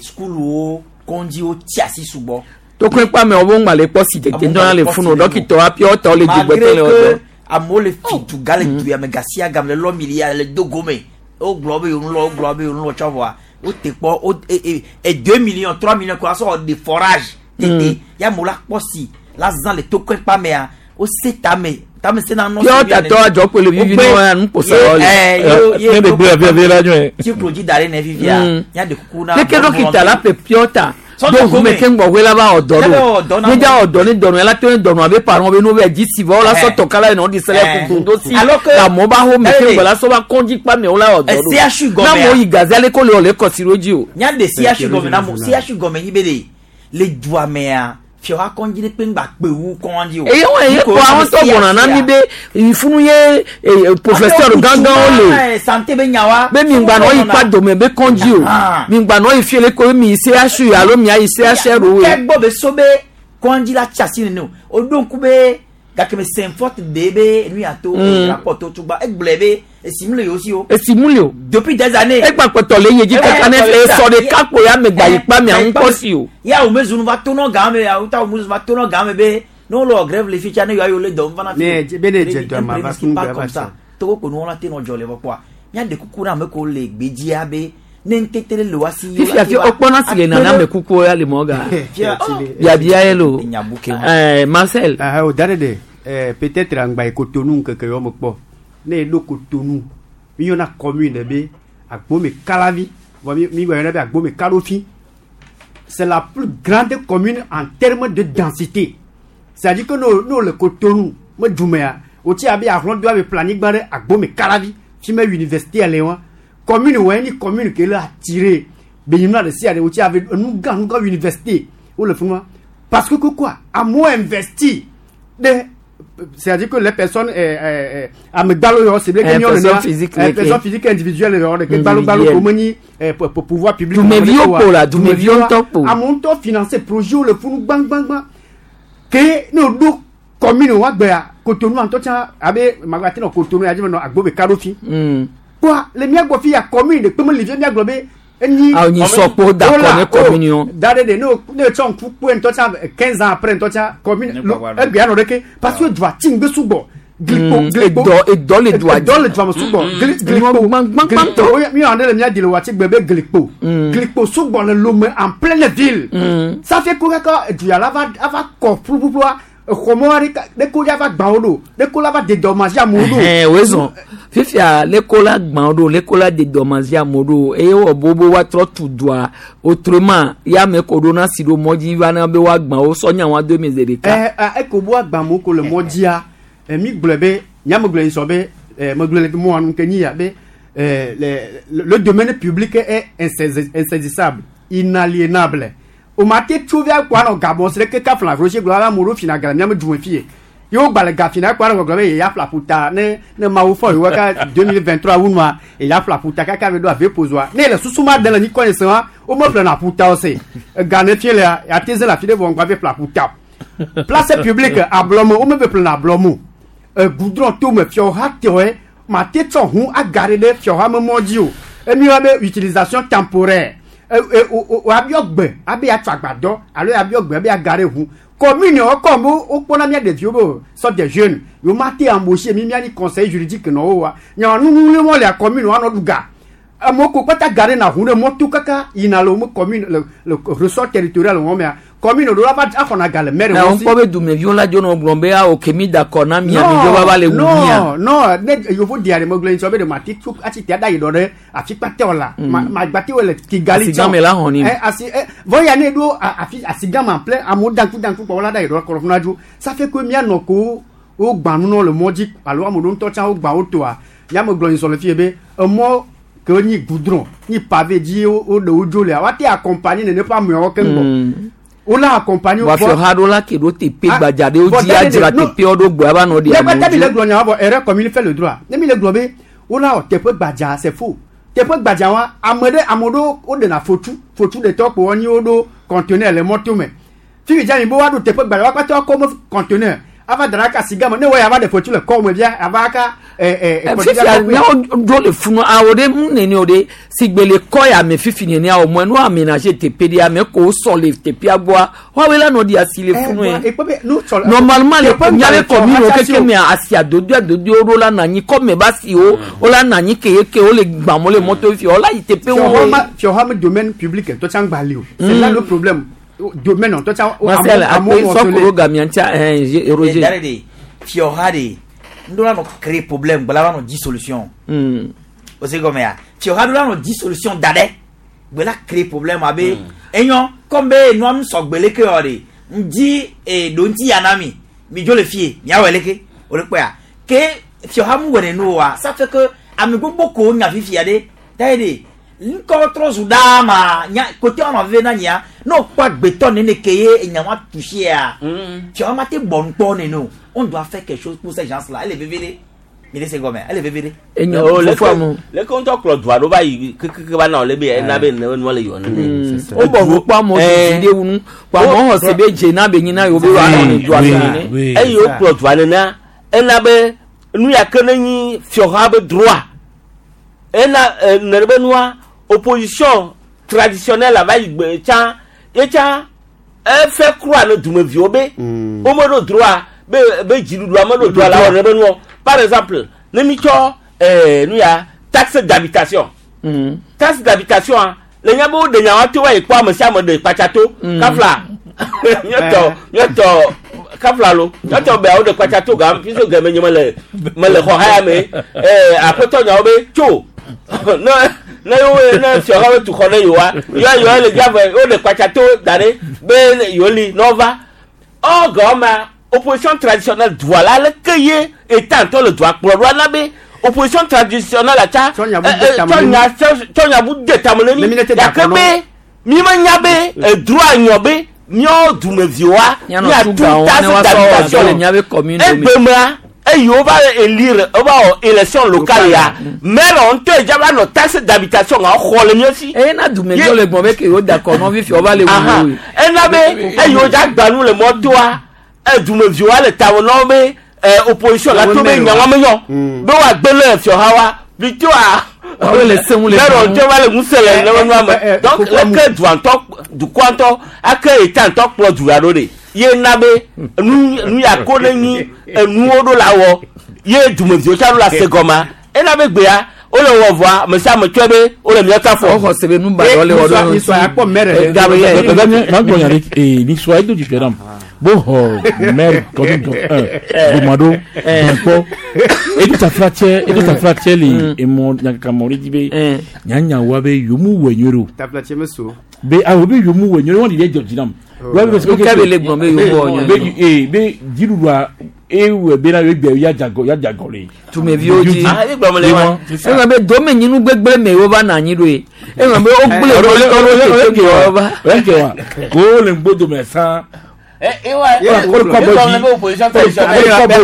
sukuluwo kɔndziwo tsi asi sugbɔ. Tokun kpa me wo ŋgba le kpɔ si tete ŋutɔ le funu dɔkitɔ api ɔtɔ le dugbɛtɔ le ɔdɔ. Amewo le fi duga le du ya me gasia game le lɔ milia le dogo me wogblɔ be yewo lɔ wogblɔ be yewo lɔ tsɔ vɔa wote kpɔ wo e 2 millions 3 millions ko asɔ de forage tete ya amewo la kpɔ si la zã le tokun kpa mea wose tame tame se na nɔ. Yɔ tatɔ adzɔ kpe le vivi nɔ ya nukposa wɔ le. Ne de gbe afi afi la nyɔe. Tiklo dzi da ɖe ne vivia ya de kuku na. Leke dɔkita la ƒe piɔta do ʋume ke ŋgbɔ la va ɔdɔ ɖo ne dza ɔdɔ ne dɔnɔ la to ne dɔnɔ abe parents be no bɛ dzi si vɔ la sɔ tɔ kala yi nɔ di sɛlɛ kuku do si amewo ba ho me ke ŋgbɔ la sɔ va kɔndzi kpa mewo la ɔdɔ ɖo na amewo yi gaze ale ko le wòle kɔsi ɖo dzi o. Nya de CHU gɔme na mo CHU gɔme nyi be de le dua mea fiɔha kɔndzi ɖe kpe ŋgba kpe wu kɔndzi o. Eye wɔn eye kɔ àwọn tó gbɔna na mi be ifunu ye professeur gángan le. Santé be nya wa. Be mi ŋgba nɔ yi kpa dome be kɔndzi o mi ŋgba nɔ yi fie le ko mi yi CHU alo mi ayi CHR o. Kɛ gbɔ be so be kɔndzi la tsi asi nene o o ɖo ŋku be gake me Saint-Fort de be nu ya to rapport to tugba egblɔe be esimu le yewo si o. Esimu le o. Depuis des années. Egba kpɔtɔ le ye dzi kaka ne esɔ ɖeka kpo ya me gba yi kpa mia ŋu kpɔ si o. Ya wo mezunu va tonɔ gã me ya wo ta wo mezunu va tonɔ gã me be ne wole wɔ grève le fi tsa ne yewoa yewo le dɔ va na fi. Ne be ne dze dɔ ma va sunu gbe va sa. Togo ko nuwo la te nɔ dzɔ le vɔ kpɔa míaɖe kuku na ame ko le gbedzia be ne ŋutete le wa si. Fifi afi wokpɔna si le nana me kuku ya le mɔ ga biabia ye lo Marcel. O da ɖe de peut-être angba yi Cotonou ŋkeke yɔ me kpɔ ne eɖo Cotonou mi yɔna commune be Agbome Kalavi vɔ mi yɔna be Agbome Kalofi. C'est la plus grande commune en termes de densité, c'est-à-dire que no le Cotonou me dumea wotsi abe ahlɔdo abe planyigba ɖe Agbome Kalavi fi me université le wa commune wɔ ni commune ke le attiré benyimna ɖe sia ɖe wotsi abe enu gã nu gã université wole fi ma parce que quoi, amewo investi ɖe, c'est-à-dire que les personnes amegbalo yɔ c'est bien que personne physique personne physique individuelle yɔ ɖe ke gbalo gbalo ko menyi pouvoir public. Dumeviwo kpo la dumeviwo ŋutɔ kpo. Amewo ŋutɔ financer projet wo le funu gbãgbãgbã ke ne o ɖo commune wa gbea Cotonou ŋutɔ tsã abe magba te nɔ Cotonou ya dzi me nɔ Agbome Kaɖofi kpoa le mía gbɔ fi ya commune de kpe me li fi mía gblɔ be enyi. Awo nyi sɔkpo da kɔ ne commune wo. Da ɖe de ne o ne tsɔ ŋku kpɔe ŋutɔ tsã 15 ans après ŋutɔ tsã commune egbea nɔ ɖeke parce que dua tsi ŋgbe sugbɔ glikpo glikpo. Edɔ edɔ le dua dzi edɔ le dua me sugbɔ glikpo glikpo mi wɔn ɖe le mía di le wati gbe be glikpo glikpo sugbɔ le Lome en pleine ville. Ça fait ko kaka duya la va ava kɔ ƒuƒuƒua exɔmɔ aɖe ɖe ko ya va gbã wo ɖo ɖe ko la va dédommage amewo ɖo. Ɛhɛn wezɔn fifia leko la gbã wo ɖo leko la dédommage amewo ɖo eye wɔ bobo woatrɔ tu dua autrement ya me ko ɖo na si ɖo mɔ dzi va na be woagbã wo sɔ nya wa do mi zi ɖeka. Ɛ eko bo agbã amewo ko le mɔ dzia mi gblɔe be nyame gblɔe sɔ be Megblɔ le mɔ nu ke nyi ya be le domaine public est insaisissable, inaliénable. O ma te tso via kpɔ anɔ gabɔ si ɖe keke fla rocher gblɔ ala amewo ɖo fina ga le miame du me fie. Ye wo gba le ga fina kpɔ anɔ gbɔgblɔ be yeya ƒla ƒuta ne Mawu fɔ yewo ka 2023 wu nua yeya ƒla ƒuta kaka be ɖo ave pozoa. Ne le susu ma de le nyikɔ ne se wa wo me ƒlena ƒuta o se. Ega ne fie lea ya te ze le afi ɖe vɔ ŋgba ve ƒla ƒuta. Place publique ablɔme wo me ve ƒlena ablɔme o. Goudron to me fiɔha tɔe ma te tsɔ hu aga ɖe ɖe fiɔha me mɔ dzi o. Emi wa be utilisation temporaire. Woabiɔ gbe abe atsɔ agbadɔ alo abiɔ gbe abe aga ɖe ʋu. Commune wo kɔ mo wokpɔna mía ɖeviwo be o sorte de jeunes. Yewo ma te embaucher mi mía ni conseil juridique nɔ wo wa. Nya nuŋuŋui wɔn le commune wa nɔ ɖu ga. Amewo ko kpata ga ɖe na ʋu ɖe mɔto kaka yina le wo commune le ressort territorial wɔn mea. Commune ɖo la va axɔna ga le maire Na wɔn wo si. kpɔ be dumeviwo la dzo nɔ gblɔm be awo ke mi da kɔ na mia mi dzo va va le wu mia. Non, ne yovo di are megblɔ ŋutɔ be ɖe mate tso atsi te aɖa yi ɖɔ ɖe afi kpatɛ o la. Ma gbate wo le Kigali Asi gã me la xɔ ni. Asi vɔ ya ne ɖo afi asi gã ma ple amewo danku danku kpɔ wo la ɖa yi ɖɔ kɔrɔ funa dzo. Ça fait que mia nɔ ko wo gbã nu nɔ le mɔ dzi alo ame ɖewo ŋutɔ tsã wo gbã wo toa. Ya me gblɔ ŋusɔ le fie be emɔ ke nyi goudron nyi pavé dzi wo ɖe wo dzo lea woate accompagner nene ƒe ameawo keŋ gbɔ. Wo la accompagner wo. Wafio ha ɖo la ke ɖo teƒe gbadza ɖewo dzi adzra teƒewo ɖo gbɔ ava nɔ ɖi Ne amewo kpata mi le dzi. gblɔ nya wa vɔ erreur commune fait le droit. Ne mi le gblɔ be wo la wɔ teƒe gbadza c'est faux. Teƒe gbadza wa ame ɖe ame ɖewo wo ɖena fotu fotu ɖetɔ kpo wonyi wo ɖo conteneur le mɔto me. Fifi dza mi be woaɖo teƒe gbadza wa kpata wakɔ me conteneur ava da ɖe aka si gama ne wɔ ya va ɖe fotu le kɔ me via ava aka Fifia miawo ɖo le funu awo ɖe mu nene o ɖe si gbe le kɔ ya me fifi nene awo mɔ nu aménager teƒe ɖe ame ko sɔ le teƒea gbɔa woawoe la nɔ ɖi asi le funu ye. Normalement le miabe commune wo keke mea asi adodoe adodoe wo ɖo la nɔ anyi kɔme ba si wo wo la nɔ anyi ke ye ke wo le gbam wo le mɔto fi wo la yi teƒe wo. Fiɔha me domaine public ŋutɔ tsã gba li o. C'est là le problème. Domaine ŋutɔ tsã Marcel amewo akpe wɔ sɔkoro gamia ŋutia Roger. Dare de fiɔha de ŋɖo la nɔ créer problème gbala la nɔ di solution. O se gɔmɛ ya fiɔha ɖo la nɔ di solution da ɖe gbela créer problème abe enyɔ comme be nua nu sɔgbe leke wɔ de ŋdi ɖo ŋuti ya na mi mi dzo le fie miawɔ leke o le kpɔa ke fiɔha mu wɔ nenu wa ça fait que ame gbogbo ko nya fifia ɖe da ye de ŋkɔ trɔ zu ɖaa ma nya kote wɔnɔ veve na nyia ne wokpɔ agbetɔ nene ke ye enya ma touché-a fiɔha ma te bɔ nukpɔ nene o. On doit faire quelque chose pour ces gens-là. Elle est vevede. Mi le se gɔmɛ elle est vevede. Enyo fofo amu. Leke ŋutɔ kplɔ dua ɖo va yi kekeke va na wòle be ena be ne nua le yɔ nene. Wo bɔ nu kpɔ amewo didi ɖe wu nu. Kpɔ amewo xɔ se be dze na be nyi na yewo be woanɔ ne dua me nene. Eye wokplɔ dua nenea ena be nu ya ke ne nyi fiɔha be droit ena ne be nua opposition traditionnelle va yi gbe tsã ye tsã efe kura ne dumeviwo be womeɖo droit be be dziɖuɖua meɖo droit la wɔ ne be nuɔ. Par exemple ne mi tsɔ nu ya taxe d'habitation. Taxe d'habitation a le nya be woɖe nya wa to va yi kpɔ ame sia ame ɖe kpatsa to kafla míatɔ kafla lo míatɔ be woɖe kpatsa to gam puisque game nye mele xɔ haya me aƒetɔ nyawo be tso ne yewo ne fiɔha be tu xɔ ne yewoa yewoa yewoa le dzia vɔ woɖe kpatsa to da ɖe be yewo li ne wova ɔ gɔma opposition traditionnelle dua la leke ye état ŋutɔ le dua kplɔ ɖoa na be opposition traditionnelle la tsa tsɔ nya bu de tame ne mi gake be mi menya be droit nyɔ be míawo dumeviwoa Mianɔ miatu tu gawo ne taxe woasɔ wɔ d'habitation dɔ le miabe commune me. egbemea eye wova élire wova wɔ élection locale ya maire ŋutɔ dza va nɔ taxe d'habitation ŋa xɔ le mía si. Eye na dumeviwo le gbɔn be ke yewo da kɔ nɔvi fiɔ va le Aha. wuwu. Ena be eye wodza gba nu le mɔtoa dumeviwoa le tame na wo be opposition la to be nyawa menyɔ be woagbe le fiɔha wa plutôt a Woawo le seŋu le maire gbɔn. ŋutɔ va le ŋusẽ le ne nua me donc leke dua ŋutɔ dukɔa ŋutɔ ake état ŋutɔ kplɔ du la ɖo ɖe ye na be nu ya ko ne nyi enuwo ɖo la wɔ ye dumeviwo tsã ɖo la se gɔmea ena be gbea wole wɔ vɔa ame sia ame tsɔe be wole mía ta fɔ. Woxɔ se be nu baɖa wole wɔ ɖo Nisɔ ya kpɔ maire ɖe. Gabriel. Ma gbɔ nya ɖe nisɔ edo dzidzɔ nam bo xɔ maire commune 1 Gomado Gbɛnkpɔ edo taflatsɛ le emɔ nyakakamɔ ɖe dzi be nyanyawoa be yomu wɔ nyuie ɖo Taflatse me so. be awo be yomu wɔ nyuie ɖo wɔn ɖi ɖe dzɔ dzi nam Nu ka be le gblɔm be yewo wɔ nyɔ? Be ee be dziɖuɖua ewɔe bena ye gbe ya dzagɔ ya dzagɔ le. Dumeviwo dzi. Ah, ye gblɔm le wa. Eŋlɔ be domenyinu gbegblẽ me wova nɔ anyi ɖo ye. Eŋlɔ be wogblẽ wo tɔ wo va. Oye wa ko le ŋgbodome sã.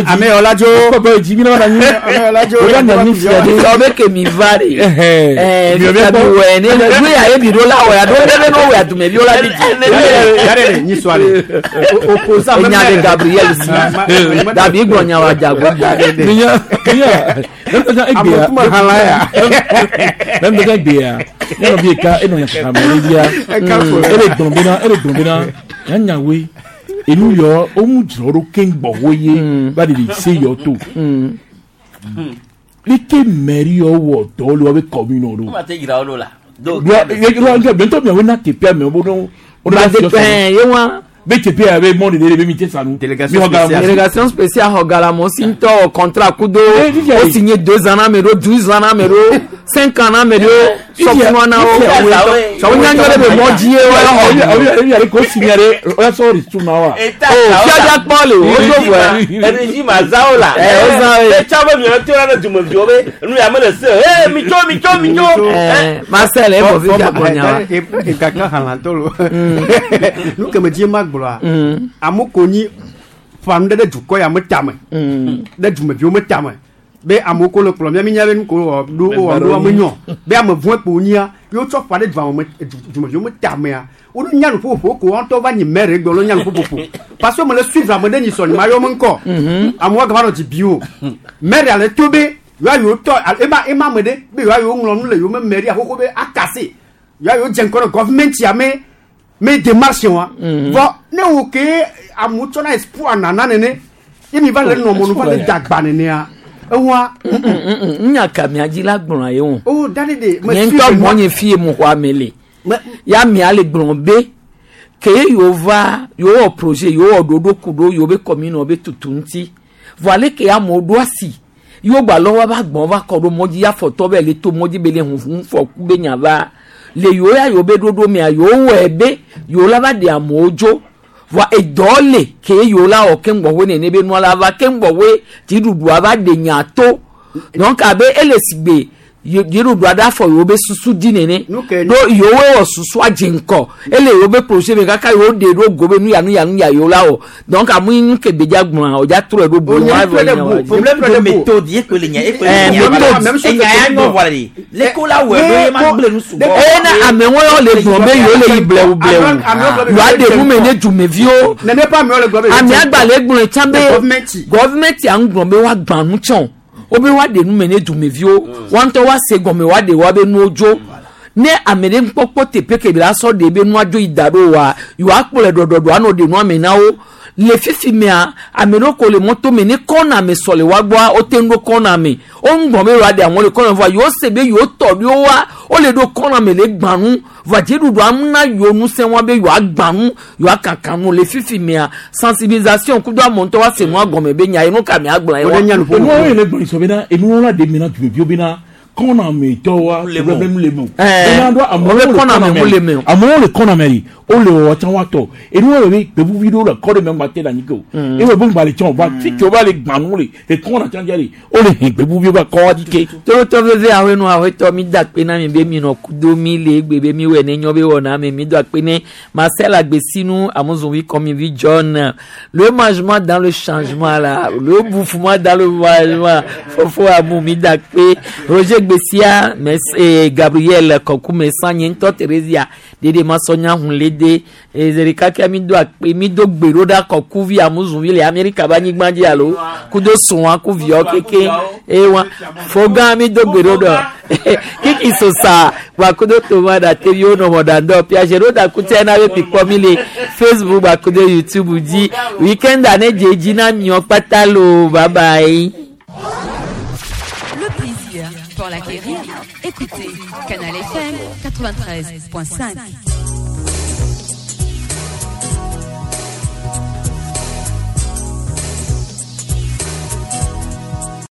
Ame Ọlájó. Sọ be ke mi va de. Ɛɛ mi wɛ ne nu ya ye mi ɖo la wɔ ya ɖo ne be no wɔ ya dumeviwo la bi dzi. Yàrá nyi sɔ ale. Opposant. Enya de Gabriel si. Dabi gblɔ nya wa dzago. Minya minya Amekuma hala ya. Mɛ gbea ne nɔvi ka enɔ nya kaka mɛ ne via ele gblɔ bena ele gblɔ bena nyanyawoe enu yɔ womu dzrɔ ɖo keŋ gbɔ wo ye va ɖe se yɔ to leke mɛri yɔ wɔ dɔ le woabe commune ɖo. Kuma te dzra wo ɖo la. Do bientôt miawoe na teƒea me wo ɖo Ye wa. Be teƒea be mɔ ɖeɖe be mi te sa nu. Délégation spéciale xɔ galamo si ŋutɔ wɔ contrat kudo o signé 2 ans na ame ɖo 12 ans na ame ɖo 5 ans na ame ɖo sɔfunua na wo. Wo nyanyɔ ɖe be mɔ dzi ye wa xɔ. Ebi ale ko signé ɖe o ya sɔ ristu na wa. O fiadza kpɔ le o do vɔa. Régime azawo la. Ɛ o zã ye. Etsɔ be miɔ to la ɖe dumeviwo be nu ya mele se. Ee mitso mitso mitso. Ɛ Marcel e bɔ fi dza nya wa. Egaka halantɔ lo. Nu keme dzi ma gblɔa. Amewo ko nyi ƒanu ɖe ɖe dukɔ ya me tame. Ɖe dumeviwo me tame. Be amewo ko le kplɔ mía mi nya be nu ko wɔ ɖo wɔ ɖo ame nyɔ. Be ame vɔ̃ kpo nyia. Ye wotsɔ ƒa ɖe dua me dumeviwo me tamea. Wolu nya nuƒoƒo ko wɔn ŋutɔ va nyi maire gbe wolu nya nuƒoƒo. Parce que me le suivre ame ɖe nyi sɔni ma yɔ me ŋkɔ. Amewo gava nɔ dzi bi o. Maire ale to be yewoa yewo tɔ ema ema ame ɖe be yewoa yewo ŋlɔ nu le yewo me mairie xoxo be akase. Yewoa yewo dze ŋkɔ ɖe government ya me me démarche wa. Vɔ ne wo ke amewo tsɔna espoir nana nene ye mi va le nɔ mɔnu va le dagba nenea ewa. Nya ka mia dzi la gblɔa ye o. O da de de. Nye ŋutɔ mɔ nye fi ye mu xɔ ame le. Ya mia le gblɔ be ke yewo va yewo wɔ projet yewo wɔ ɖoɖo ku ɖo yewo be commune be tutu ŋuti. Vɔ ale ke amewo ɖo asi yewo gba lɔ wa va gbɔn va kɔ ɖo mɔdzi afɔtɔ be le to mɔdzi be le huhu fɔ ku be nya va le yewo ya yewo be ɖoɖo mea yewo wɔe be yewo la va ɖe amewo dzo vɔa edɔ le ke yewo la wɔ keŋ gbɔƒe nene be nua la va keŋ gbɔƒe dziɖuɖua va ɖe nya to donc abe ele si gbe dziɖuɖua ɖe afɔ yewo be susu dzi nene ɖo yewo wɔ susua dze ŋkɔ ele yewo be projet me kaka yewo ɖe ɖo go be nu ya nu ya nu ya yewo la wɔ donc amu yi nu ke gbedza gblɔa o dza trɔe ɖo bo wa vɔ nya wa problème de méthode ye ko le nya ye ko le nya méthode enya ya nyɔ vɔ le le ko la wɔ ɖo ye ma gblẽ nu sugbɔ. Eye na amewo yɔ le gblɔ be yewo le yi blewu blewu yewoa ɖe nu me ne dumeviwo ame agbalẽ gblɔe tsã be gɔvimɛnti a ŋgblɔ be woagbã nu tsã o wobe woaɖe nu me ne dumeviwo woa ŋutɔ woase gɔme woaɖe woabe nuwo dzo ne ame ɖe ŋkpɔkpɔ teƒe ke la sɔ ɖe be nua dzo yi da ɖo wa yewoakplɔe ɖɔɖɔɖɔ anɔ ɖe nua me na wo le fifi mea ame ɖewo ko le mɔto me ne kɔna me sɔ le wa gbɔa wote ŋu ɖo kɔna me wo ŋgbɔn be yewoaɖe amewo le kɔna me vɔa yewo se be yewo tɔ ɖewo wa wole ɖo kɔna me le gbã nu vɔa dziɖuɖua na yewo ŋusẽ wa be yewoagbã nu yewoakaka nu le fifi mea sensibilisation kudo amewo ŋutɔ woase nua gɔme be nya yi nu ka mea gblɔ ye wa. Enuwo yɛrɛ gblɔ sɔ bena enuwo la de mina dumeviwo bena kɔna me tɔ wa problème le me o. Ɛɛ o bɛ kɔna me mu le me o. Amewo le kɔna me yi o le wɔ tsã wa tɔ enuwo yɛrɛ be gbevuvi ɖewo le kɔ ɖe me ŋgba te le anyi ke o. Eye wo ŋgba le tsã o va fi ke wo va le gbã nu le le kɔna tsã dzia le o le hɛn gbevuviwo va kɔ wa dzi ke. Torotɔ veve awenu awetɔ mi da akpe na mi be mi nɔ kudo mi le egbe be mi wɔ ne nyɔ be wɔna me mi do akpe ne Marcel Agbesinu Amuzunvi Komivi John le mangement dans le changement là le bouffement dans le mangement Fofo Amu mi da akpe Roger Gbesia mes Gabriel Kokume Sanye ŋutɔ Theresia Dede Masonya Hunlede ezerika kia mi do akpe mi do gbe ɖo ɖa kɔkuvi Amuzunvi le Amerika be anyigba dzi alo kudo srɔ̃a ku viawo keke eye wa fogã mi do gbe ɖo ɖɔ kiki sosa gbakudo toma ɖateviwo nɔ mɔɖaŋdɔ piaget ɖo ɖakutia na be mikpɔ mi le Facebook gbakudo YouTube dzi weekend ne dze dzi na miɔ kpata lo bye bye. Le plaisir pour l'acquérir. Écoutez Canal FM 93.5.